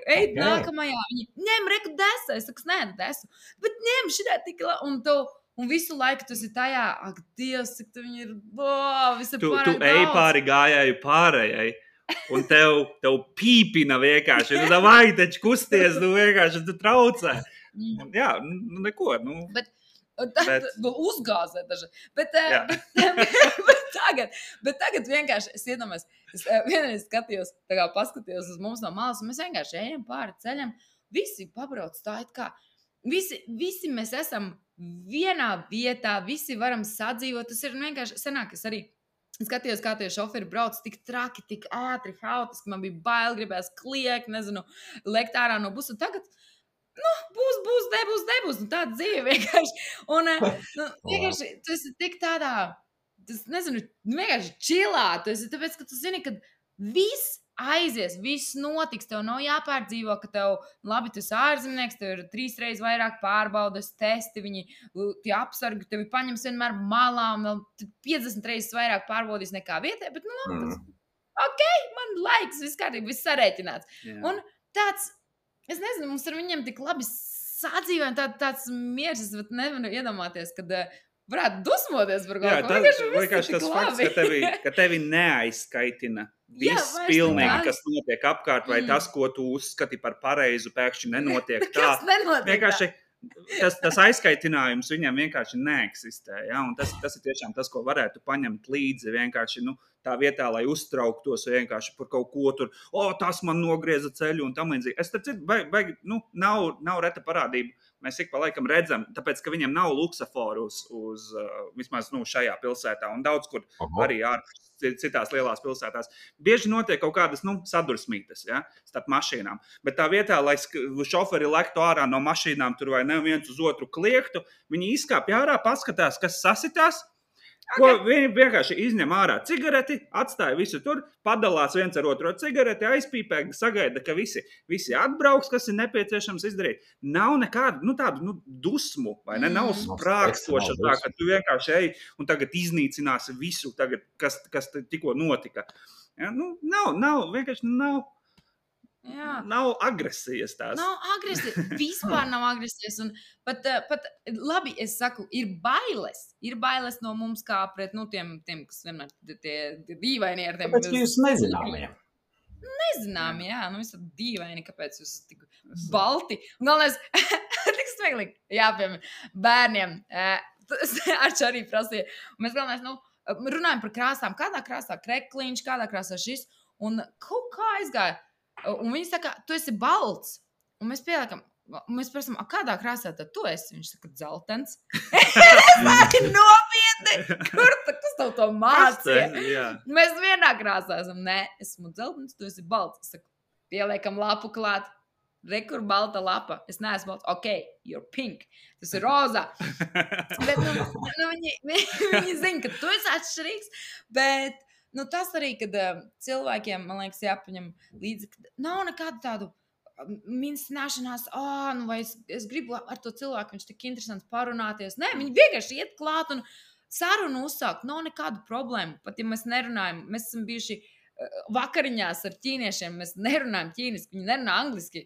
Ej, nākamajā. Viņi ņem, reku desu. Es saku, nē, desu. Bet ņem, šitā tik labi. Un visu laiku tu esi tajā, ak, Dievs, cik tu viņi ir, visi tu ej pāri gājēju pārējai. Un tev pīpina vienkārši. Vai taču kusties, vienkārši tu traucē. Jā, neko. Bet uzgāzē daži. Bet tagad vienkārši es iedomājos, es vienreiz paskatījos uz mums no malas, un mēs vienkārši ejam pāri ceļam, visi pabrauc tā, it kā, visi mēs esam vienā vietā, visi varam sadzīvot, tas ir vienkārši senāk, es arī skatījos, kā tie šoferi brauc tik traki, tik ātri, haotiski, man bija bail, gribējās kliegt, lekt ārā no busa, tagad būs, nebūs. Tāda dzīve vienkārši. Un vienkārši tu esi tik tādā, vienkārši čilā. Tu esi tāpēc, ka tu zini, ka viss aizies, viss notiks. Tev nav jāpārdzīvo, ka tev, labi, tu esi ārzemnieks, tev ir 3 reizes vairāk pārbaudas, testi, tie apsargi, tevi paņems vienmēr malā un vēl 50 reizes vairāk pārbaudīs nekā vietē, bet man laiks, viss kārtībā, viss sarēķināts. Jā. Un tāds, es nezinu, mums ar viņiem tik labi sadzīvojam, tāds miers, es pat nevaru iedomāties, kad varētu dusmoties par kaut ko. Vienkārši tas fakts, ka tevi neaizskaitina viss pilnīgi, kas notiek apkārt, vai tas, ko tu uzskati par pareizu, pēkšņi nenotiek tā. Kas nenotiek vienkārši tas aizskaitinājums viņam vienkārši neeksistē. Ja? Un tas ir tiešām tas, ko varētu paņemt līdzi vienkārši tā vietā, lai uztrauktos vienkārši par kaut ko tur. Tas man nogrieza ceļu un tam līdzīgi. Es tāpēc, nav reta parādība. Mēs ik pa laikam redzam, tāpēc, ka viņiem nav luksaforu uz vismaz šajā pilsētā un daudz kur arī citās lielās pilsētās. Bieži notiek kaut kādas sadursmītas, ja, starp mašīnām. Bet tā vietā, lai šoferi lektu ārā no mašīnām, tur vai ne viens uz otru kliektu, viņi izkāpj ārā, paskatās, kas sasitās. Ko viņi vienkārši izņem ārā cigareti, atstāja visu tur, padalās viens ar otru cigareti, aizpīpē, sagaida, ka visi atbrauks, kas ir nepieciešams izdarīt. Nav nekādu tādu dusmu, vai ne? Nav sprākstoša tā, ka tu vienkārši ej un tagad iznīcināsi visu, tagad, kas tikko notika. Ja, nav, vienkārši nav. Jā. Nav agresijas tās. Nav agresijas, vispār nav agresijas. Un pat labi, es saku, ir bailes. Ir bailes no mums kā pret tiem kas vienmēr tie dīvaini ar tiem. Kāpēc jūs nezināmie? Nezināmie, jā. Visā dīvaini, kāpēc jūs tik balti. Un galvenais, tik smieklīgi, jāpiemēr, bērniem. Arču arī prasīja. Un mēs galvenais, runājam par krāsām. Kādā krāsā krekliņš, kādā krāsā šis. Un kaut kā aizgāja. Un viņi saka, tu esi balts. Un mēs pieliekam, mēs prasam, kādā krāsā tad tu esi? Viņš saka, dzeltens. Es arī nopietni. Kas tev to mācīja? Mēs vienā krāsā esam. Nē, esmu dzeltens, tu esi balts. Es saku, pieliekam lapu klāt. Rekur balta lapa. Es neesmu balts. Ok, you're pink. Tas ir rozā. Bet viņi zina, ka tu esi atšķirīgs. Bet tas arī, kad cilvēkiem, man liekas, jāpaņem līdzi, ka nav nekādu tādu mincināšanās, vai es gribu ar to cilvēku, viņš tik interesants parunāties. Nē, viņi vienkārši iet klāt un sarunu uzsākt, nav nekādu problēmu. Pat ja mēs nerunājam, mēs esam bijuši vakariņās ar ķīniešiem, mēs nerunājam ķīniski, viņi nerunā angliski.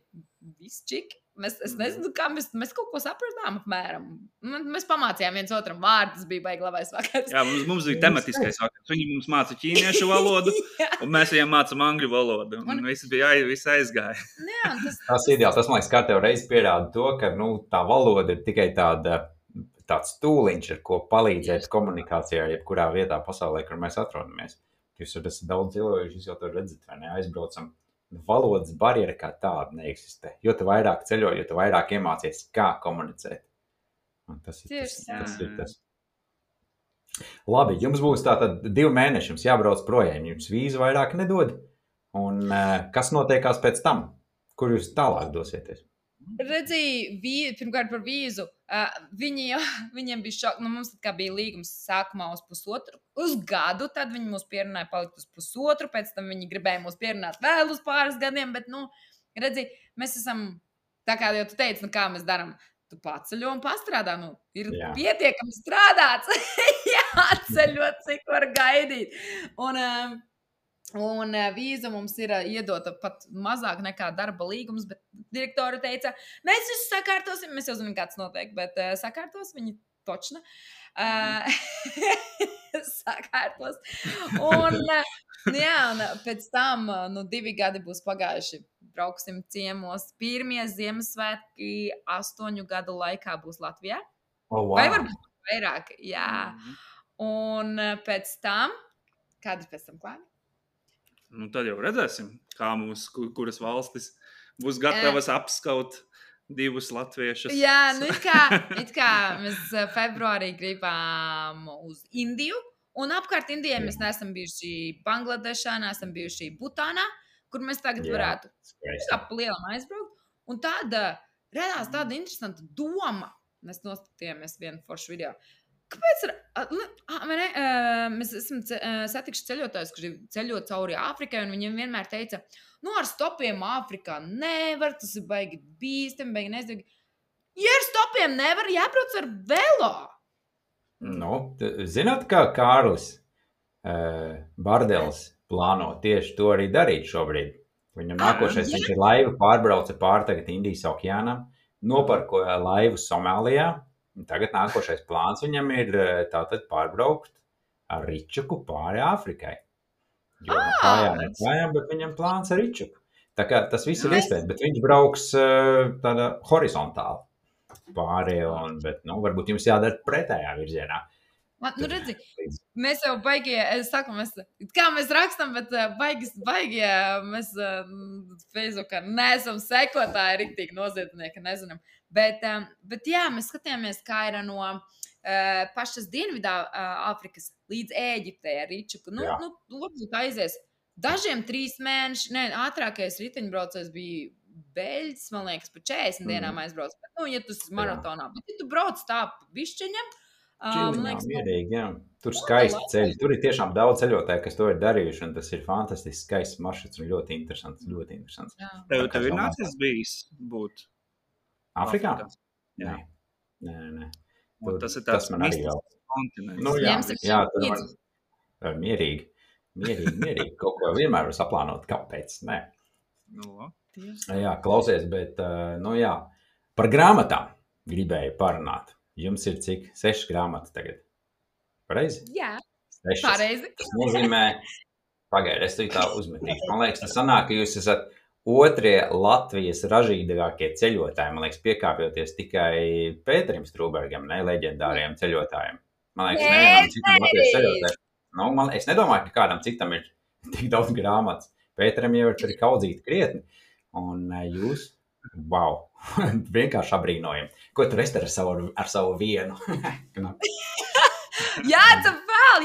Viss čiki. Es nezinu, kā mēs kaut ko sapratām apmēram. Mēs pamācījām viens otram vārdu, tas bija baigi labais vakars. Jā, mums bija tematiskais vakars. Viņi mums māca ķīniešu valodu, un mēs viņiem mācām angļu valodu. Un viss aizgāja. Jā, tas ir ideāls. Tas, man liekas, kā tev reiz pierāda to, ka tā valoda ir tikai tāds tūliņš, ar ko palīdzēt komunikācijā, jebkurā vietā pasaulē, kur mēs atrodamies. Jūs esat daudz cilvēku, jūs jau to redzat, vai ne? Aizbraucam. Valodas barjera kā tāda neeksistē. Jo tu vairāk ceļo, jo tu vairāk iemācies, kā komunicēt. Un tas ir tas. Labi, jums būs tātad 2 mēneši, jums jābrauc projām, jums vīzu vairāk nedod. Un kas notiekās pēc tam? Kur jūs tālāk dosieties? Redzēju, pirmkārt par vīzu. Viņiem bija šok. Mums bija līgums sākumā uz gadu, tad viņi mūs pierunāja palikt uz 1,5, pēc tam viņi gribēja mūs pierunāt vēl uz pāris gadiem, bet, redzēju, mēs esam, tā kā jau tu teici, kā mēs darām, tu paceļo un pastrādā, ir pietiekami strādāts, jāceļo, cik var gaidīt. Un vīza mums ir iedota pat mazāk nekā darba līgums, bet direktori teica, mēs visu sakārtosim, mēs jau zinām, kāds notiek, bet sakārtos viņi točna. Sakārtos. Un pēc tam 2 gadi būs pagājuši. Brauksim ciemos. Pirmie Ziemassvētki 8 gadu laikā būs Latvijā. Oh, wow. Vai varbūt vairāk, jā. Un pēc tam, kādi pēc tam klāni? Tad jau redzēsim, kā kuras valstis būs gatavas apskaut 2 latviešus. Jā, it kā mēs februārī gribām uz Indiju, un apkārt Indijai mēs neesam bijuši Bangladešā, neesam bijuši Butānā, kur mēs tagad varētu ap lielam aizbraukt. Un tāda radās tāda interesanta doma. Mēs nostatījāmies vienu foršu video. Kāpēc mēs esam satikuši ceļotājus, kuri ceļo cauri Āfrikai, un viņiem vienmēr teica, ar stopiem Āfrikā nevar, tas ir baigi bīstami, baigi neizdevīgi. Ja ar stopiem nevar, jābrauc ar velo. Zināt, kā Kārlis Bardels plāno tieši to arī darīt šobrīd. Viņam nākošais, viņš ir laivu pārbrauca pāri tagad Indijas okeānam, noparkoja laivu Somālijā. Tagad nākošais plāns viņam ir tātad pārbraukt ar ričuku pāri Āfrikai. Jo kājām, bet viņam plāns ar ričuku. Tā kā tas viss ir iespējams, bet viņš brauks tāda horizontāli pāri, bet, varbūt jums jādara pretējā virzienā. Nu, redzi, mēs jau baigie, es saku, kā mēs rakstam, bet baigie, mēs Facebookā neesam sekotāji, riktīgi noziedznieki, nezinām. Bet jā, mēs skatījāmies, kā ir no pašas dienvidā Āfrikas līdz Ēģiptei ar ričuku. Varbūt aizies. Dažiem 3 mēneši, ātrākais riteņbraucējs bija Beļģis, man liekas, pa 40 dienām aizbrauc. Bet, ja tu esi maratonā, bet ja tu brauc tā bišķiņam, Čiliņā, mierīgi, jā. Tur skaisti ceļi. Tur ir tiešām daudz ceļotāju, kas to ir darījuši, un tas ir fantastisks, skaists maršruts un ļoti interesants. Tev ir nācies bijis būt Afrikā? Jā. Nē. Tas ir tāds mistisks kontinents. Jā, tur man mierīgi. Kaut ko vienmēr var saplānot. Kāpēc? Nē. Jā, klausies, bet, par grāmatām gribēju parunāt. Jums ir cik? 6 grāmatas tagad. Pareizi? Jā, 6. pareizi. Tas nozīmē, pagaidi, es tā uzmetīšu. Man liekas, tas sanāk, ka jūs esat otrie Latvijas ražīgākie ceļotāji. Man liekas, piekāpjoties tikai Pēterim Strūbergam, leģendāriem ceļotājiem. Man liekas, nevienam citam Latvijas ceļotājiem. Es nedomāju, ka kādam citam ir tik daudz grāmatas. Pēterim jau ir kaudzīt krietni. Un jūs, wow, vienkārši abrīnojami. Ko tu esi ar savu vienu? Jācep vēl.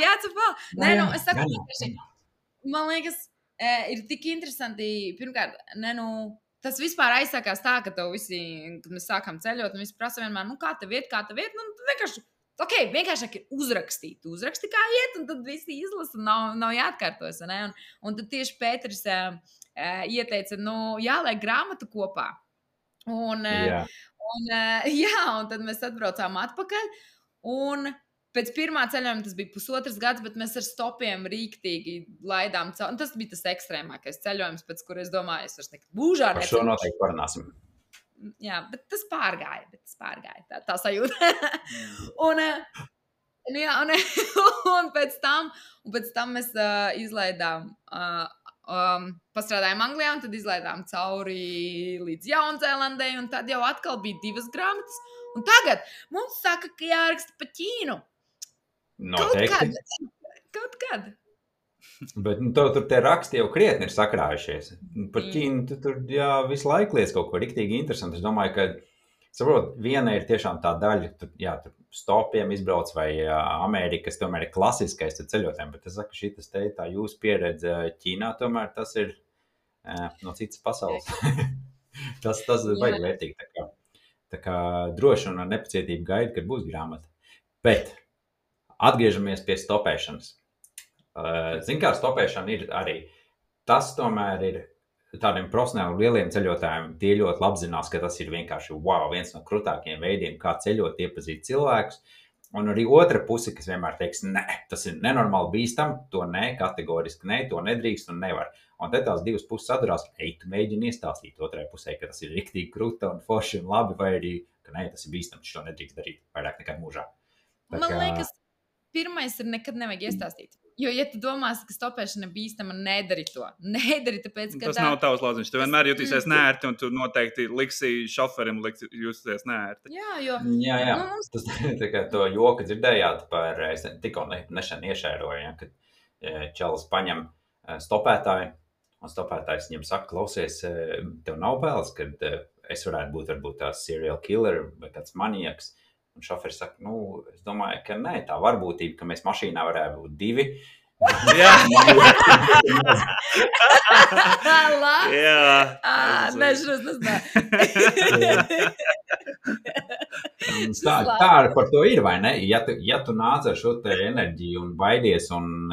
Nē, es saku, man liekas, ir tik interesanti. Pirmkārt, tas vispār aizsākās tā, ka tev visi, kad mēs sākām ceļot, un visi prasa vienmēr, kā tev iet, vienkārši, vienkāršāk ir uzrakstīt. Uzraksti, kā iet, un tad visi izlasa, nav jāatkārtojas, ne? Un tad tieši Pēteris ieteica, jāliek grāmatu kopā. Un tad mēs atbraucām atpakaļ, un pēc pirmā ceļojuma tas bija 1,5 gads, bet mēs ar stopiem rīktīgi laidām cauri. Tas bija tas ekstrēmākais ceļojums, pēc kur es domāju, es vairs nekad būžā neceļošu. Par šo noteikti parunāsim. Jā, bet tas pārgāja, tā sajūta. un pēc tam mēs izlaidām, pastrādājām Anglijā, un tad izlaidām cauri līdz Jaunzēlandei, un tad jau atkal bija 2 grāmatas. Un tagad mums saka, ka jāraksta pa Ķīnu. Noteikti. Kaut kad. Bet tur tie raksti jau krietni ir sakrājušies. Par Ķīnu tu tur visu laiku liec kaut ko riktīgi interesanti. Es domāju, ka, viena ir tiešām tā daļa, tur stopiem izbrauc vai Amerikas, tomēr ir klasiskais ceļotājiem, bet es saku, šitas te tā jūsu pieredze Ķīnā, tomēr tas ir no citas pasaules. tas ir baigi vērtīgi. Tā kā droši un ar nepacietību gaidu, kad būs grāmata. Bet atgriežamies pie stopēšanas. Zin kā stopēšana ir arī, tas tomēr ir tādiem profesionāli lieliem ceļotājiem, tie ļoti labi zinās, ka tas ir vienkārši viens no krutākajiem veidiem, kā ceļot, iepazīt cilvēkus. Un arī otra puse, kas vienmēr teiks, nē, tas ir nenormāli bīstam, to nē, kategoriski nē, to nedrīkst un nevar. Un te tās divas puses sadurās, tu mēģini iestāstīt otrai pusē, ka tas ir riktīgi kruta un forši un labi, vai arī, ka nē, tas ir bīstam, šo nedrīkst darīt vairāk nekad mūžā. Man liekas, pirmais ir nekad nevajag iestāstīt. Jo, ja tu domās, ka stopēšana bīstama, nedari to. Nedari, tāpēc, ka tas nav tavs lauciņš. Tu vienmēr jutīsies neērti, un tu noteikti liksi šoferim justies neērti. Jā. Tas tā kā to joku dzirdējāt par, es tikko nešan iešēroju, kad čalis paņem stopētāju, un stopētājs viņam saka, klausies, tev nav bēles, kad es varētu būt varbūt tās serial killer vai kāds maniaks. Un šoferis saka, es domāju, ka nē, tā varbūtība, ka mēs mašīnā varētu būt 2. Jā. Tā par to ir, vai ne? Ja tu nāc ar šo te enerģiju un baidies, un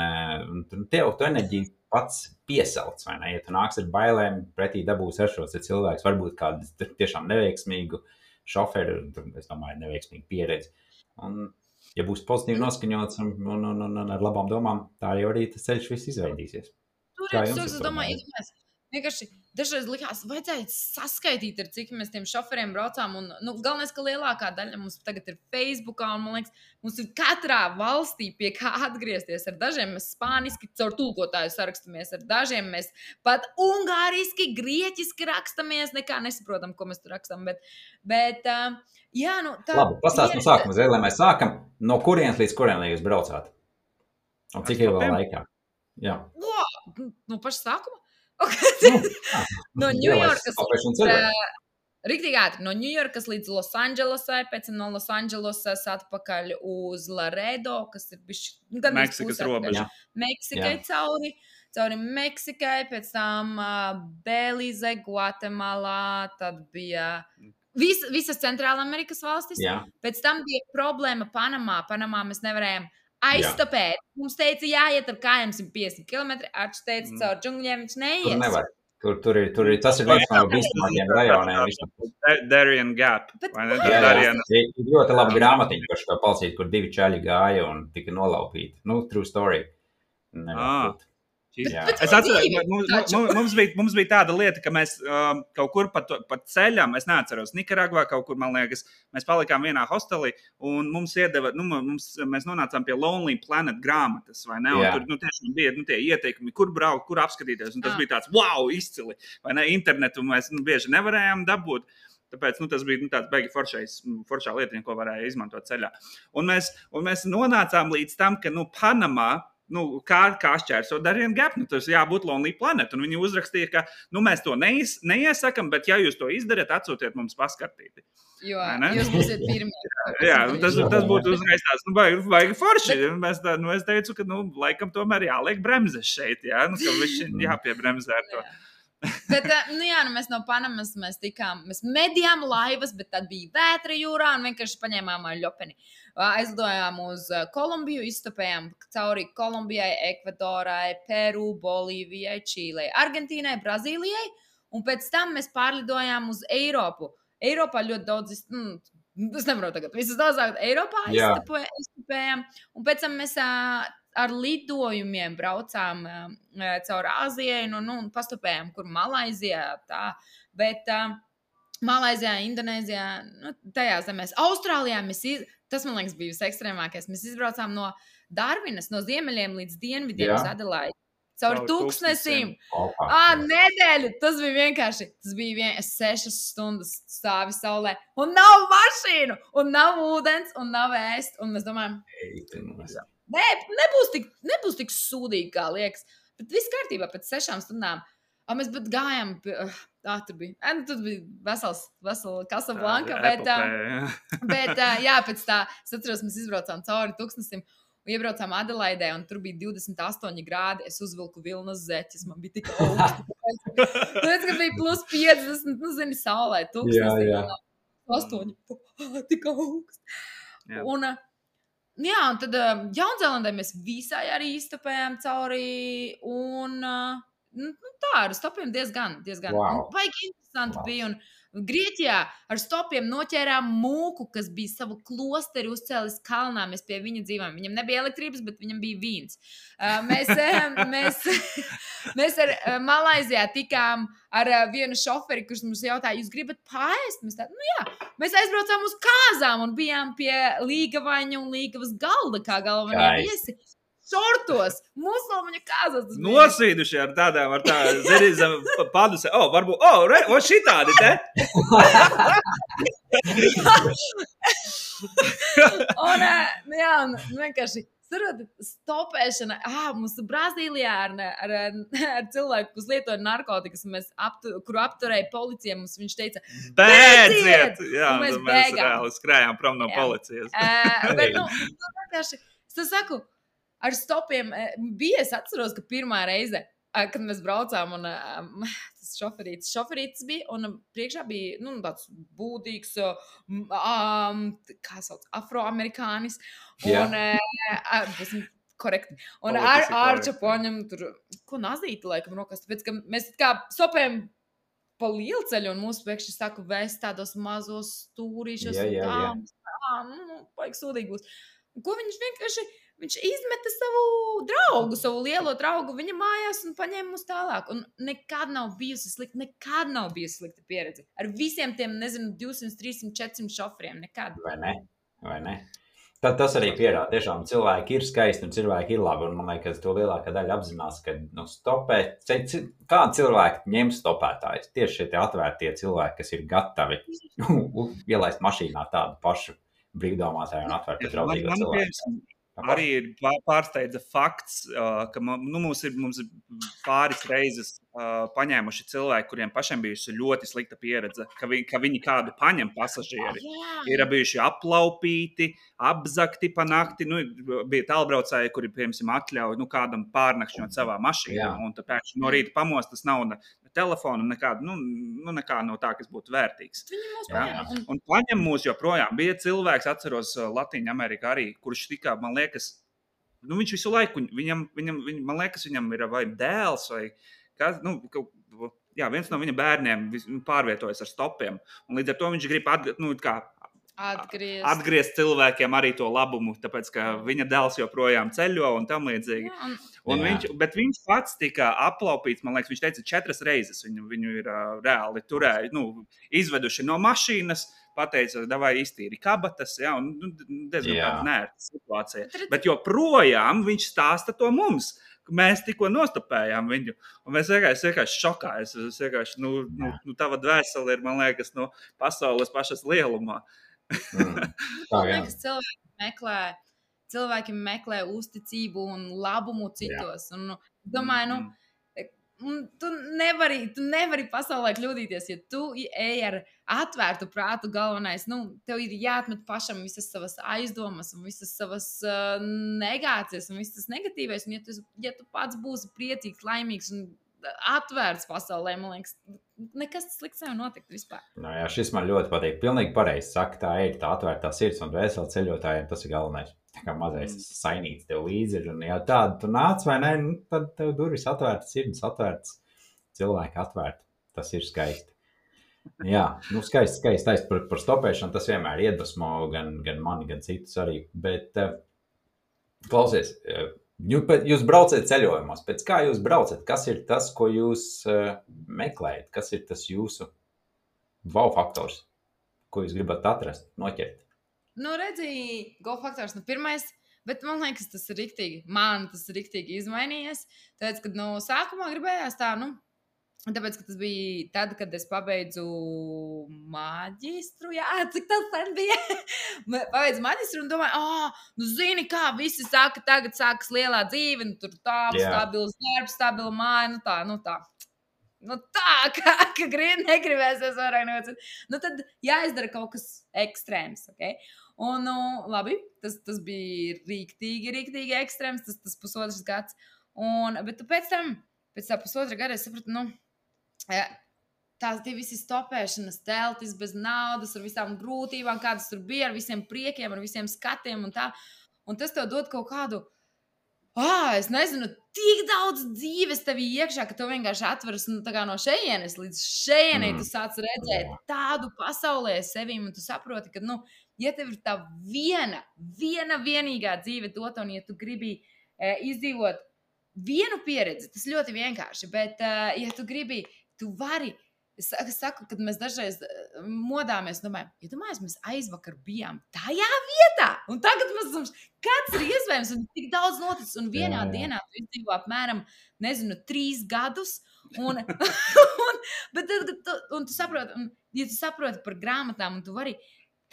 tev tu enerģiju pats piesauc, vai ne? Ja tu nāks ar bailēm, pretī dabūs ar šos cilvēks, varbūt kādu tiešām neveiksmīgu šoferi, es domāju, neveiksmīgi pieredzi. Un, ja būs pozitīvi noskaņots un ar labām domām, tā jau arī tas ceļš viss izveidīsies. tur ir soks, es domāju, iedomājies. Vienkārši dažreiz likās, vajadzēja saskaitīt, ar cik mēs tiem šoferiem braucām. Un, galvenais, ka lielākā daļa mums tagad ir Facebookā, un man liekas, mums ir katrā valstī pie kā atgriezties. Ar dažiem mēs spāniski caur tulkotāju sarakstamies, ar dažiem mēs pat ungāriski, grieķiski rakstamies, nekā nesaprotam, ko mēs tur rakstam. Bet jā, tā... Labi, pastāst no sākuma, lai mēs sākam, no kurienes līdz kurienei jūs braucāt? Un cik ir vēl laikā? Jā. No paša sākuma? No Ņujorkas riktīgi ātri, no Ņujorkas līdz Losandželosai, pēc tam no Losandželosas atpakaļ uz Laredo, kas ir Meksikas robeža. Meksikai cauri Meksikai, pēc tam Belize, Gvatemalā, tad bija visas Centrāla Amerikas valstis. Pēc tam bija problēma Panamā mēs nevarējām aizstopēt. Mums teica, jāiet ar kājām 150 km, Arčs teica, caur džungļiem viņš neies. Tur nevar. Tur ir, tas ir viens no bīstamākajiem rajoniem. Darien Gap. Ir ļoti laba grāmatiņa par šo palcīti, kur 2 čaļi gāja un tika nolaupīti. True story. Es atceros, mums bija tāda lieta, ka mēs kaut kur pa ceļam, es neatceros, Nikaragvā kaut kur, man liekas, mēs palikām vienā hostelī un mums iedeva, mēs nonācām pie Lonely Planet grāmatas, vai ne? Un tur tiešām bija tie ieteikumi, kur braukt, kur apskatīties, un tas bija tāds, wow, izcili, vai ne? Internetu mēs bieži nevarējām dabūt. Tāpēc tas bija tāds baigi foršā lietiņa, ko varēja izmantot ceļā. Un mēs nonācām līdz tam, ka Panamā, kā šķērso Darien Gap, tas jābūt Lonely Planet. Un viņi uzrakstīja, ka mēs to neiesakam, bet ja jūs to izdarat, atsūtiet mums paskartīti. Jo jūs būsiet pirmie. Jā, tas būtu uzreiz tāds, baigi forši. Es teicu, ka, laikam tomēr jāliek bremzes šeit, jā, ka viņš jāpiebremzē ar to. Bet, mēs no Panamas mēs medījām laivas, bet tad bija vētra jūrā un vienkārši paņēmām ļopeni. Aizdojām uz Kolumbiju, izstopējām cauri Kolumbijai, Ekvadorai, Peru, Bolīvijai, Čīlei, Argentīnai, Brazīlijai, un pēc tam mēs pārlidojām uz Eiropu. Eiropā ļoti daudz, es nevaru tagad, visas daudzāk Eiropā izstopējām, un pēc tam mēs ar lidojumiem braucām caur Āzijai, un pastopējām, kur Malaizijā, tā, bet Malaizijā, Indonēzijā, tajās zemēs. Austrālijā tas, man liekas, bija visekstrēmākais. Mēs izbraucām no Darvinas, no ziemeļiem līdz dienvidiem uz Adelaidi. Caur tūkstnesīm. Nedēļu. Tas bija vienkārši. Tas bija 6 stundas stāvi saulē. Un nav mašīnu, un nav ūdens, un nav ēst. Un mēs domājam, nebūs tik sūdīgi, kā liekas. Bet viss kārtībā pēc 6 stundām. Mēs pat gājām, tur bija vesela Casablanca, bet pēc tā, es atceros, mēs izbraucām cauri tūkstnesim, iebraucām Adelaidē, un tur bija 28 grādi, es uzvilku vilnas zeķes, man bija tik augstu. Tāpēc, ka bija plus 50, saulē, tūkstnesim, 8, tik augstu. Un tad Jaunzēlandē mēs visai arī iztapējām cauri, un tā, ar stopiem diezgan. Wow. Baigi interesanti bija, un Grieķijā ar stopiem noķērām mūku, kas bija savu klosteri uzcēlis kalnā, mēs pie viņa dzīvojām. Viņam nebija elektrības, bet viņam bija vīns. Mēs ar Malaizijā tikām ar vienu šoferi, kurš mums jautāja, jūs gribat paēst? Mēs aizbraucām uz kāzām un bijām pie Līgavaņa un Līgavas galda, kā galvenie viesi. Šortos, musulmaņa kāzas. Nosīduši ar tādām, zem paduse. Varbūt, šitādi te. Un vienkārši stopēšana. Mums Brazīlijā ar cilvēku, kas lietoja narkotikas, kuru apturēja policija, viņš teica, bēdziet! Jā, mēs reāli skrējām prom no policijas. Bet, vienkārši, es saku, ar stopiem bija, es atceros, ka pirmā reize, kad mēs braucām, un tas šoferītis bija, un priekšā bija, tāds būdīgs, kā sauc, afroamerikānis, un, būsim korekti, un Arča poņem tur, ko nazīti, laikam, rokās, tāpēc, ka mēs kā stopējam pa lielceļu, un mūsu pēkšņi sāku vēst tādos mazos stūrīšos, un tā, paik sūdīgi būs. Ko viņš vienkārši Viņš izmeta savu draugu, savu lielo draugu viņa mājās un paņēma mūs tālāk. Un nekad nav bijusi slikta pieredze. Ar visiem tiem, 200, 300, 400 šoferiem. Nekad. Vai ne? Tad tas arī pierāda. Tiešām cilvēki ir skaisti un cilvēki ir labi. Un man liekas, to lielākā daļa apzinās, ka stopēt, kādi cilvēki ņem stopētājus. Tieši šie atvērtie cilvēki, kas ir gatavi ielaist mašīnā tādu pašu brīvdomātāju un atvērtu draudzīgo cilvēku. Arī ir pārsteidza fakts, ka mums ir pāris reizes paņēmuši cilvēki, kuriem pašiem bijusi ļoti slikta pieredze, ka viņi kādu paņem pasažieri. Ir bijuši aplaupīti, apzakti pa nakti. Bija tālbraucēji, kuri, piemēram, atļauj kādam pārnakšņot savā mašīnā. Un tāpēc no rīta pamost, tas nav ne telefonu, nekā no tā, kas būtu vērtīgs. Un paņem mūs joprojām. Bija cilvēks, atceros Latīņa Amerikā arī, kurš tika, man liekas, viņš visu laiku, man liekas, viņam ir vai dēls, vai kas, viens no viņa bērniem pārvietojas ar stopiem. Un līdz ar to viņš grib atgriezt cilvēkiem arī to labumu, tāpēc, ka viņa dēls joprojām ceļo un tam līdzīgi. Bet viņš pats tika aplaupīts, man liekas, viņš teica 4 reizes. Viņu ir reāli turēji, izveduši no mašīnas, pateica, davai iztīri kabatas, un diezgan tāda nērta situācija. Bet joprojām viņš stāsta to mums. Mēs tikko nostopējām viņu, un mēs vienkārši šokā. Es vienkārši, tava dvēsele ir, man liekas, pasaules pašas lielumā. Man liekas, cilvēki meklē uzticību un labumu citos. Un, domāju, tu nevari pasaulē kļūdīties, ja tu ej ar atvērtu prātu. Galvenais, tev ir jāatmet pašam visas savas aizdomas un visas savas negācijas un visas negatīvais. Un ja tu pats būsi priecīgs, laimīgs un atvērts pasaulē, man liekas, nekas slikts nevar notikt vispār. Šis man ļoti patīk. Pilnīgi pareizi saka, tā ir tā atvērtā sirds un dvēseli ceļotājiem, tas ir galvenais. Tā kā mazais sainīts tev līdzi ir, un ja tādu tu nāc vai ne, tad tev durvis atvērtas, sirds atvērtas, cilvēki atvērti. Tas ir skaisti. Jā, skaisti par stopēšanu, tas vienmēr iedvesmo gan mani, gan citus arī. Bet, klausies, jūs braucat ceļojumos, pēc kā jūs braucat? Kas ir tas, ko jūs meklējat? Kas ir tas jūsu wow faktors, ko jūs gribat atrast, noķert? Redzi, go faktors pirmais, bet man liekas, tas ir riktīgi izmainījies. Tāpēc, kad sākumā gribējās tā, tāpēc, ka tas bija tad, kad es pabeidzu maģistru, cik tas sen bija. Pabeidzu maģistru un domāju, zini kā, visi saka, tagad sākas lielā dzīve, tur stabils darbs, stabila māja, tā. Ka negribēsies vairāk nevajadzēt. Tad jāizdara kaut kas ekstrēms, ok? Un, labi, tas bija rīktīgi ekstrēms, tas pusotrs gads. Bet pēc tā pusotra gada es sapratu, tās tie visi stopēšanas teltis bez naudas, ar visām grūtībām, kādas tur bija, ar visiem priekiem, ar visiem skatiem un tā. Un tas tev dod kaut kādu, es nezinu, tik daudz dzīves tevī iekšā, ka tev vienkārši atveras no šejienes līdz šejienei. Tu sāc redzēt tādu pasaulē sevīm, un tu saproti, ka, ja tev ir tā vienīgā dzīve dota, un ja tu gribi izdzīvot vienu pieredzi, tas ļoti vienkārši, bet ja tu gribi, tu vari. Es saku, kad mēs dažreiz modāmies, domājam, mēs aizvakar bijām tajā vietā, un tagad mēs esam, kāds ir iespējams, un tik daudz noticis, un vienā dienā tu izdzīvo apmēram, 3 gadus, un tu saproti, ja tu saproti par grāmatām, un tu vari,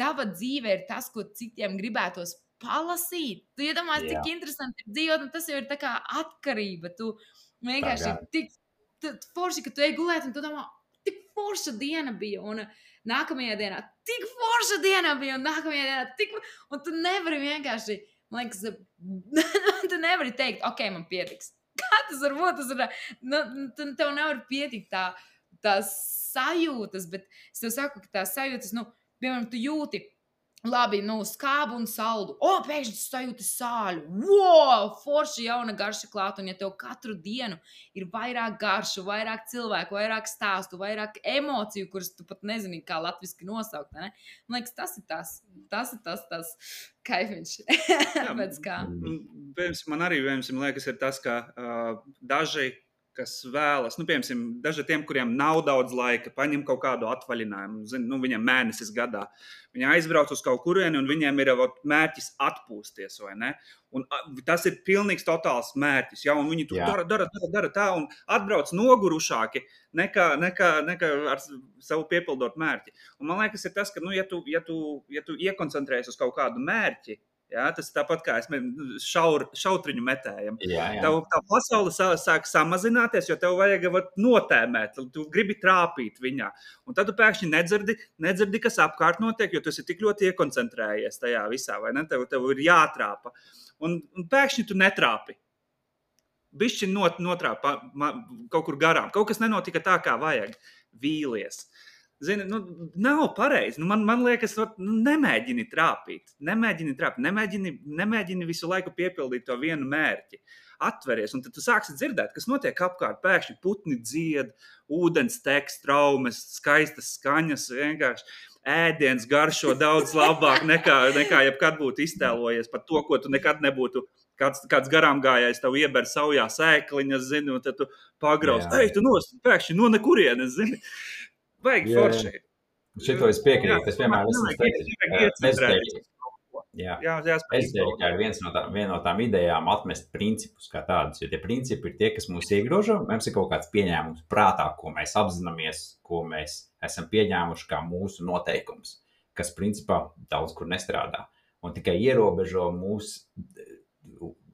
tava dzīve ir tas, ko citiem gribētos palasīt. Tu iedomājies, cik interesanti ir dzīvot, un tas jau ir tā kā atkarība. Tu vienkārši tik forši, ka tu ej gulēt, un tu domā, tik forša diena bija, un nākamajā dienā tik forša diena bija, un nākamajā dienā tik... Un tu nevari vienkārši, man liekas, tu nevari teikt, ok, man pietiks. Kā tas var būt? Tev nevar pietikt tā sajūtas, bet es tev saku, ka tā sajūtas, piemēram, tu jūti, Labi, skābu un saldu. Pēkšņi sajūti sāļu. Wow, forši jauna garša klāt. Un ja tev katru dienu ir vairāk garšu, vairāk cilvēku, vairāk stāstu, vairāk emociju, kuras tu pat nezini, kā latviski nosaukt, ne? Man liekas, tas ir tas kaifiņš. Pēc kā. Man arī, liekas, ir tas, ka daži, kas vēlas, piemēram, daži tiem, kuriem nav daudz laika, paņem kaut kādu atvaļinājumu, viņiem mēnesis gadā. Viņi aizbrauc uz kaut kurieni, un viņiem ir mērķis atpūsties, vai ne? Un tas ir pilnīgs totāls mērķis, ja? Un viņi to dara tā, un atbrauc nogurušāki nekā ar savu piepildot mērķi. Un man liekas, ir tas, ka, ja tu iekoncentrējies uz kaut kādu mērķi, ja, tas ir tāpat kā šautriņu metējam. Tā pasaule sāk samazināties, jo tev vajag notēmēt, tu gribi trāpīt viņā. Un tad tu pēkšņi nedzirdi, kas apkārt notiek, jo tu esi tik ļoti iekoncentrējies tajā visā, vai ne? Tev ir jātrāpa. Un pēkšņi tu netrāpi. Bišķi notrāpa kaut kur garām. Kaut kas nenotika tā, kā vajag. Vīlies. Zini, nav pareizi. Man liekas, nemēģini trāpīt. Nemēģini visu laiku piepildīt to vienu mērķi. Atveries, un tad tu sāksi dzirdēt, kas notiek apkārt. Pēkšņi putni dzied, ūdens tek, traumes, skaistas skaņas, vienkārši ēdiens garšo daudz labāk nekā jebkad būtu iztēlojies par to, ko tu nekad nebūtu. Kāds garām gājējs tev ieber saujā sēkliņas, zini, un tad tu pagrauz. Tu pēkšņi no nekurienes, zini. Vajag forši. Šito es piekrītu. Es vienmēr esmu teicis. Ezotērika ir viena no tām idejām atmest principus kā tādus. Jo tie principi ir tie, kas mūs iegrožo. Mums ir kaut kāds pieņēmums prātā, ko mēs apzināmies, ko mēs esam pieņēmuši kā mūsu noteikums, kas principā daudz kur nestrādā. Un tikai ierobežo mūs,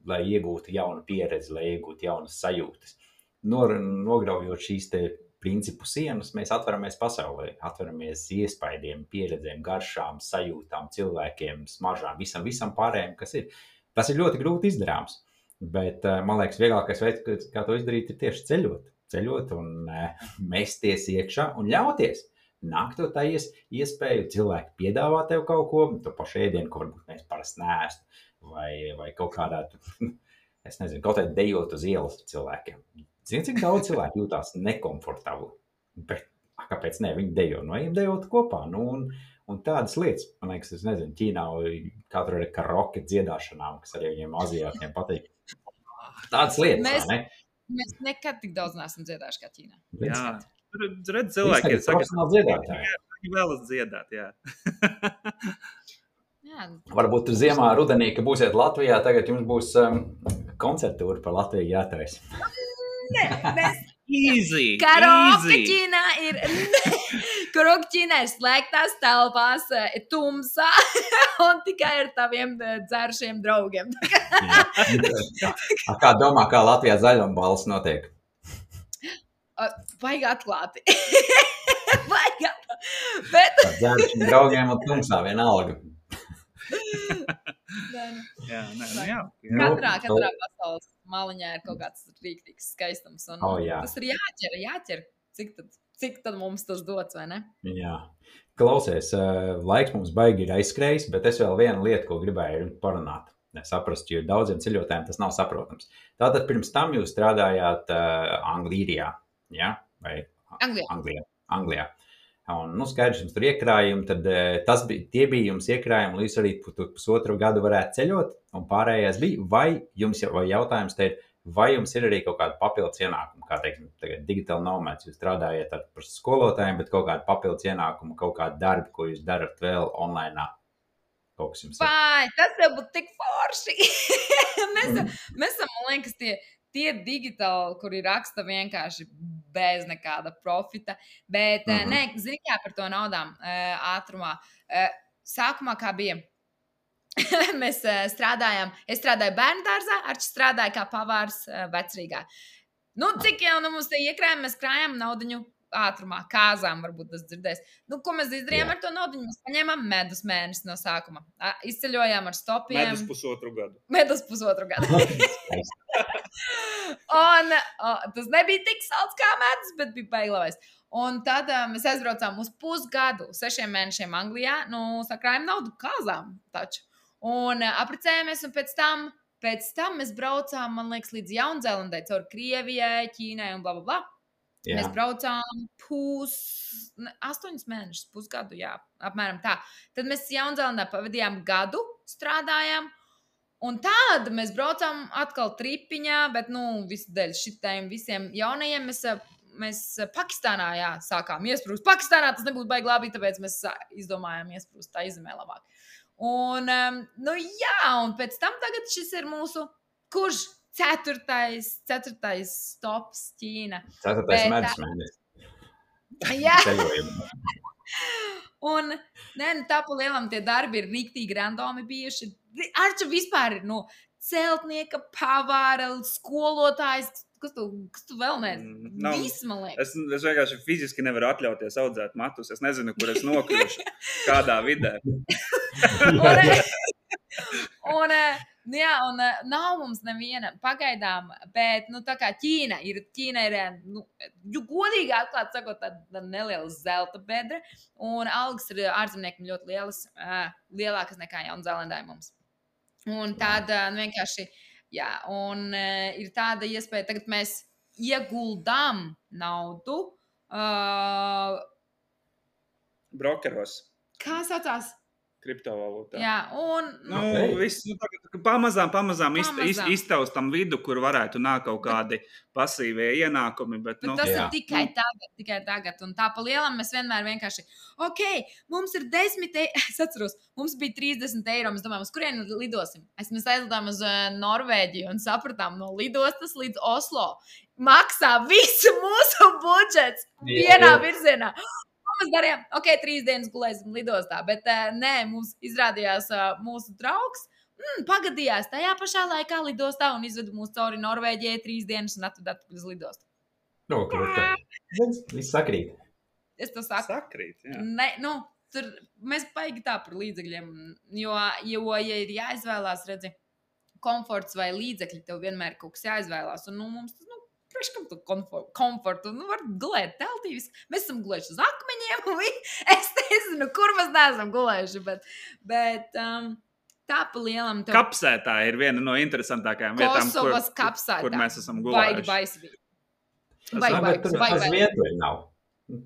lai iegūtu jaunu pieredzi, lai iegūtu jaunas sajūtas. Nograujot šīs te principu sienas, mēs atveramies pasaulē, atveramies iespaidiem, pieredzēm, garšām, sajūtām, cilvēkiem, smaržām, visam pārējiem, kas ir. Tas ir ļoti grūti izdarāms, bet man liekas, vieglākais veids, kā to izdarīt, ir tieši ceļot un mesties iekšā un ļauties. Nāk to tā iespēju, cilvēki piedāvā tev kaut ko, to pašu ēdienu, ko varbūt mēs parasti neēstu, vai kaut kādā, es nezinu, kaut kādā dejot uz ielas cilvēkiem. Zini, cik daudz cilvēku jūtās nekomfortabli, bet kāpēc ne, viņi dejo, ejam dejot kopā, un tādas lietas, man liekas, es nezinu, Ķīnā katru ir karaoke dziedāšanām, kas arī viņiem aziātiem patīk. Tādas lietas, vai ne? Mēs nekad tik daudz neesam dziedājuši kā Ķīnā. Jā, redz cilvēki ir profesionāli dziedātāji. Viņi vēlas dziedāt, jā. Varbūt tur ziemā, rudenī, ka būsiet Latvijā, tagad jums būs koncertūra par Latviju jātais. Easy. Karaoke Ķīnā ir slēgtās telpās, tumsā un tikai ar taviem dzēršiem draugiem. Kā domā, kā Latvijā zaļumballes notiek? Vajag atklāti. Bet... Dzēršiem draugiem un tumsā vienalga. Katrā pasaules maliņā ir kaut kāds rīktīgs skaistums. Un tas ir jāķer. Cik tad mums tas dots, vai ne? Jā. Klausies, laiks mums baigi ir aizskrējis, bet es vēl vienu lietu, ko gribēju parunāt. Saprast, jo daudziem ceļotājiem tas nav saprotams. Tātad pirms tam jūs strādājāt Anglijā, ja? Vai Anglijā. Un, skaidrs, jums tur iekrājumi, tad tie bija jums iekrājumi, lai jūs arī pusotru gadu varētu ceļot, un pārējais bija, vai jautājums te ir, vai jums ir arī kaut kāda papildus ienākuma, kā teiksim, tagad digital nomads, jūs strādājat par skolotājiem, bet kaut kāda papildus ienākuma, kaut kāda darba, ko jūs darat vēl online. Kaut kas jums ir. Vai, tas jau būtu tik forši. mēs esam, man liekas, tie digitāli, kuri raksta vienkārši bez nekāda profita, bet zini kā par to naudām ātrumā. Sākumā kā bija, mēs strādājām, es strādāju bērnu dārzā, Arčs strādāja kā pavārs Vecrīgā. Cik jau mums te iekrājām, mēs krājām naudiņu ātrumā, kāzām varbūt tas dzirdēs. Ko mēs izdarījām ar to naudiņu? Mēs paņēmām medus mēnesi no sākuma. Izceļojām ar stopiem. Medus pusotru gadu. Un tas nebija tik salds kā medus, bet bija baigi labais. Un tad mēs aizbraucām uz pusgadu, 6 mēnešiem Anglijā, sakrājām naudu kāzām taču. Un apprecējāmies, un pēc tam mēs braucām, man liekas, līdz Jaunzēlandai, caur Krievijai, Ķīnai un blablabla. Jā. Mēs braucām 8 mēnešus, pusgadu, jā, apmēram tā. Tad mēs Jaunzēlandā pavadījām gadu, strādājām. Un tad mēs braucām atkal tripiņā, bet, visu dēļ šitiem visiem jaunajiem mēs Pakistānā, sākām iesprūst. Pakistānā tas nebūtu baigi labi, tāpēc mēs izdomājām iesprūst tā izemē labāk. Un, un pēc tam tagad šis ir mūsu, kurš ceturtais stops Ķīna. 4. medus mēnesis. Jā. Un, tā pa lielam tie darbi ir riktīgi randomi bijuši. Arča vispār ir, celtnieka, pavāra, skolotājs, kas tu vēl viss, man liekas. Es vienkārši fiziski nevaru atļauties audzēt matus. Es nezinu, kur es nokļušu, kādā vidē. un nav mums neviena pagaidām, bet, tā kā Ķīna ir, godīgi atklāt sakot, tāda neliela zelta bedre, un algas ir ārzemniekiem ļoti lielas, lielākas nekā Jaunzēlandē mums. Un tāda vienkārši, un ir tāda iespēja, tagad mēs ieguldām naudu. Brokeros. Kā saucās? Kriptovalūtā. Jā, un... Viss, pamazām iztaustam vidu, kur varētu nākt kaut kādi pasīvie ienākumi, bet tas ir tikai tagad, un tā pa lielam mēs vienmēr vienkārši, mums ir 10 es atceros, mums bija 30 eiro, mēs domājam, uz kurieni lidosim. Mēs aizlidām uz Norvēģiju un sapratām no lidostas līdz Oslo. Maksā visu mūsu budžets vienā virzienā. Mēs darījām, 3 dienas gulēsim lidostā, bet mums izrādījās mūsu draugs, pagadījās tajā pašā laikā lidostā un izveda mūs cauri Norvēģijai 3 dienas un atveda atpakaļ uz lidostu. Viss sakrīt. Es to saku. Sakrīt, jā. Tur mēs baigi tā par līdzekļiem, jo ja ir jāizvēlās, redzi, komforts vai līdzekļi, tev vienmēr kaut kas jāizvēlās, un mums tas, Priekškam tu komfortu, var gulēt teltīs. Mēs esam gulējuši uz akmeņiem, es nezinu, kur mēs neesam gulējuši, bet tā pa lielam... Kapsētā ir viena no interesantākajām vietām, kur mēs esam gulējuši. Baigi. Bet tur tas vietu nav.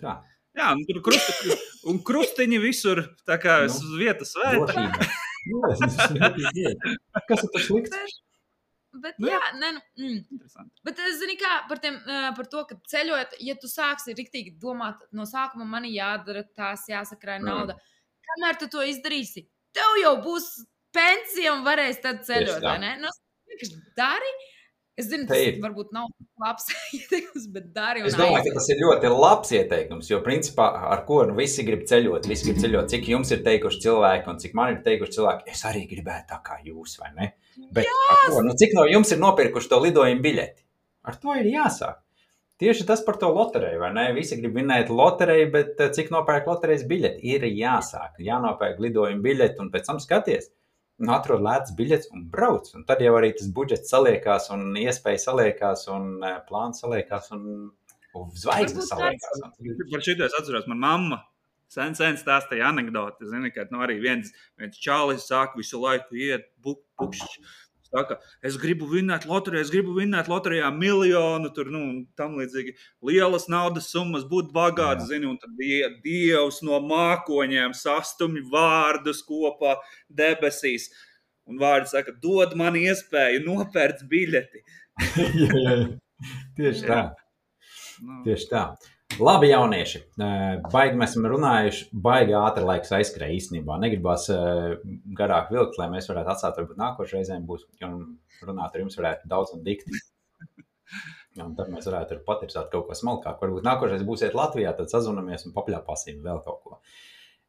Tā. Jā, un krustiņi visur, tā kā vietas svēta. Kas ir tas slikts? Bet, bet zini kā, par to, ka ceļot, ja tu sāksi riktīgi domāt, no sākuma man jādara tās, jāsakrāj nauda. Kamēr tu to izdarīsi, tev jau būs pensija un varēs tad ceļot, vai ne? Dari. Es zinu, tas varbūt nav labs ieteikums, bet dari un Es domāju, ka tas ir ļoti labs ieteikums, jo principā ar ko visi grib ceļot, cik jums ir teikuši cilvēki un cik man ir teikuši cilvēki, es arī gribētu tā kā jūs, vai ne? Bet ar ko? Cik no jums ir nopirkuši to lidojumu biļeti? Ar to ir jāsāk. Tieši tas par to lotereju, vai ne? Visi grib vinēt lotereju, bet cik nopērk loterejas biļeti? Ir jāsāk, jānopērk lidojumu biļeti un pēc tam skaties. Atrod lētas biļetes un brauc. Un tad jau arī tas budžets saliekās un iespēja saliekās un plāns saliekās un zvaigznes saliekās. Par šito es atceros, man mamma sen stāstīja anekdoti. Zini, ka arī viens čālis sāk visu laiku iet pukšķi. Saka, es gribu vinēt loterijā miljonu, tur, tam līdzīgi lielas naudas summas, būt bagāts, zini, un tad Dievs no mākoņiem sastumj vārdus kopā debesīs. Un vārdi saka, dod man iespēju nopērts biļeti. jā. Tieši tā. Tieši tā. Labi, jaunieši. Baigi mēs esam runājuši, baigi ātri laiks aizskrēja īstenībā. Negribās garāk vilkt, lai mēs varētu atstāt, varbūt nākošais reizēm būs, un runāt ar jums varētu daudz un dikti. Un tad mēs varētu patirsāt kaut ko smalkāk. Varbūt nākošais būsiet Latvijā, tad sazvanamies un papļāpāsim vēl kaut ko.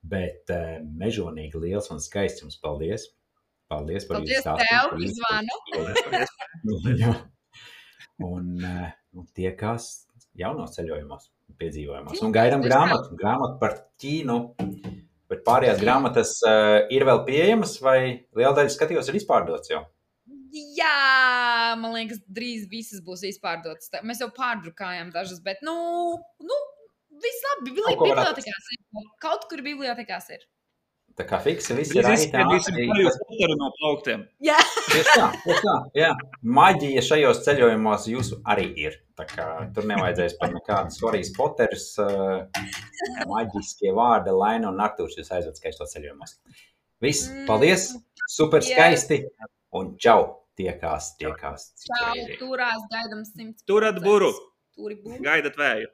Bet mežonīgi liels un skaists jums paldies. Paldies par jūsu stāstu. Paldies tev, Jā. Un tiekās jaunos ceļojumos, piedzīvojumos. Un gaidām grāmatu par Ķīnu. Bet pārējās grāmatas ir vēl pieejamas vai liela daļa skatījos ir izpārdots jau? Jā, man liekas, drīz visas būs izpārdotas. Mēs jau pārdrukājām dažas, bet viss labi, Kaut ko var bibliotekās ir. Kaut kur bibliotekās ir. Tā kā fiksi viss Drīz ir izspiedīsim Harrys Potteru no plauktiem. Jā. Tieši tā, jā. Maģija šajos ceļojumos jūsu arī ir. Tā kā tur nevajadzēs pat nekādas Harrys Potteris, maģiskie vārdi, Laina un Artūrs jūs aizved skaistos ceļojumos. Viss, paldies, super skaisti un čau, tiekās. Čau, turās, gaidam 100%. Turat buru, Turi buru. gaidat vēju.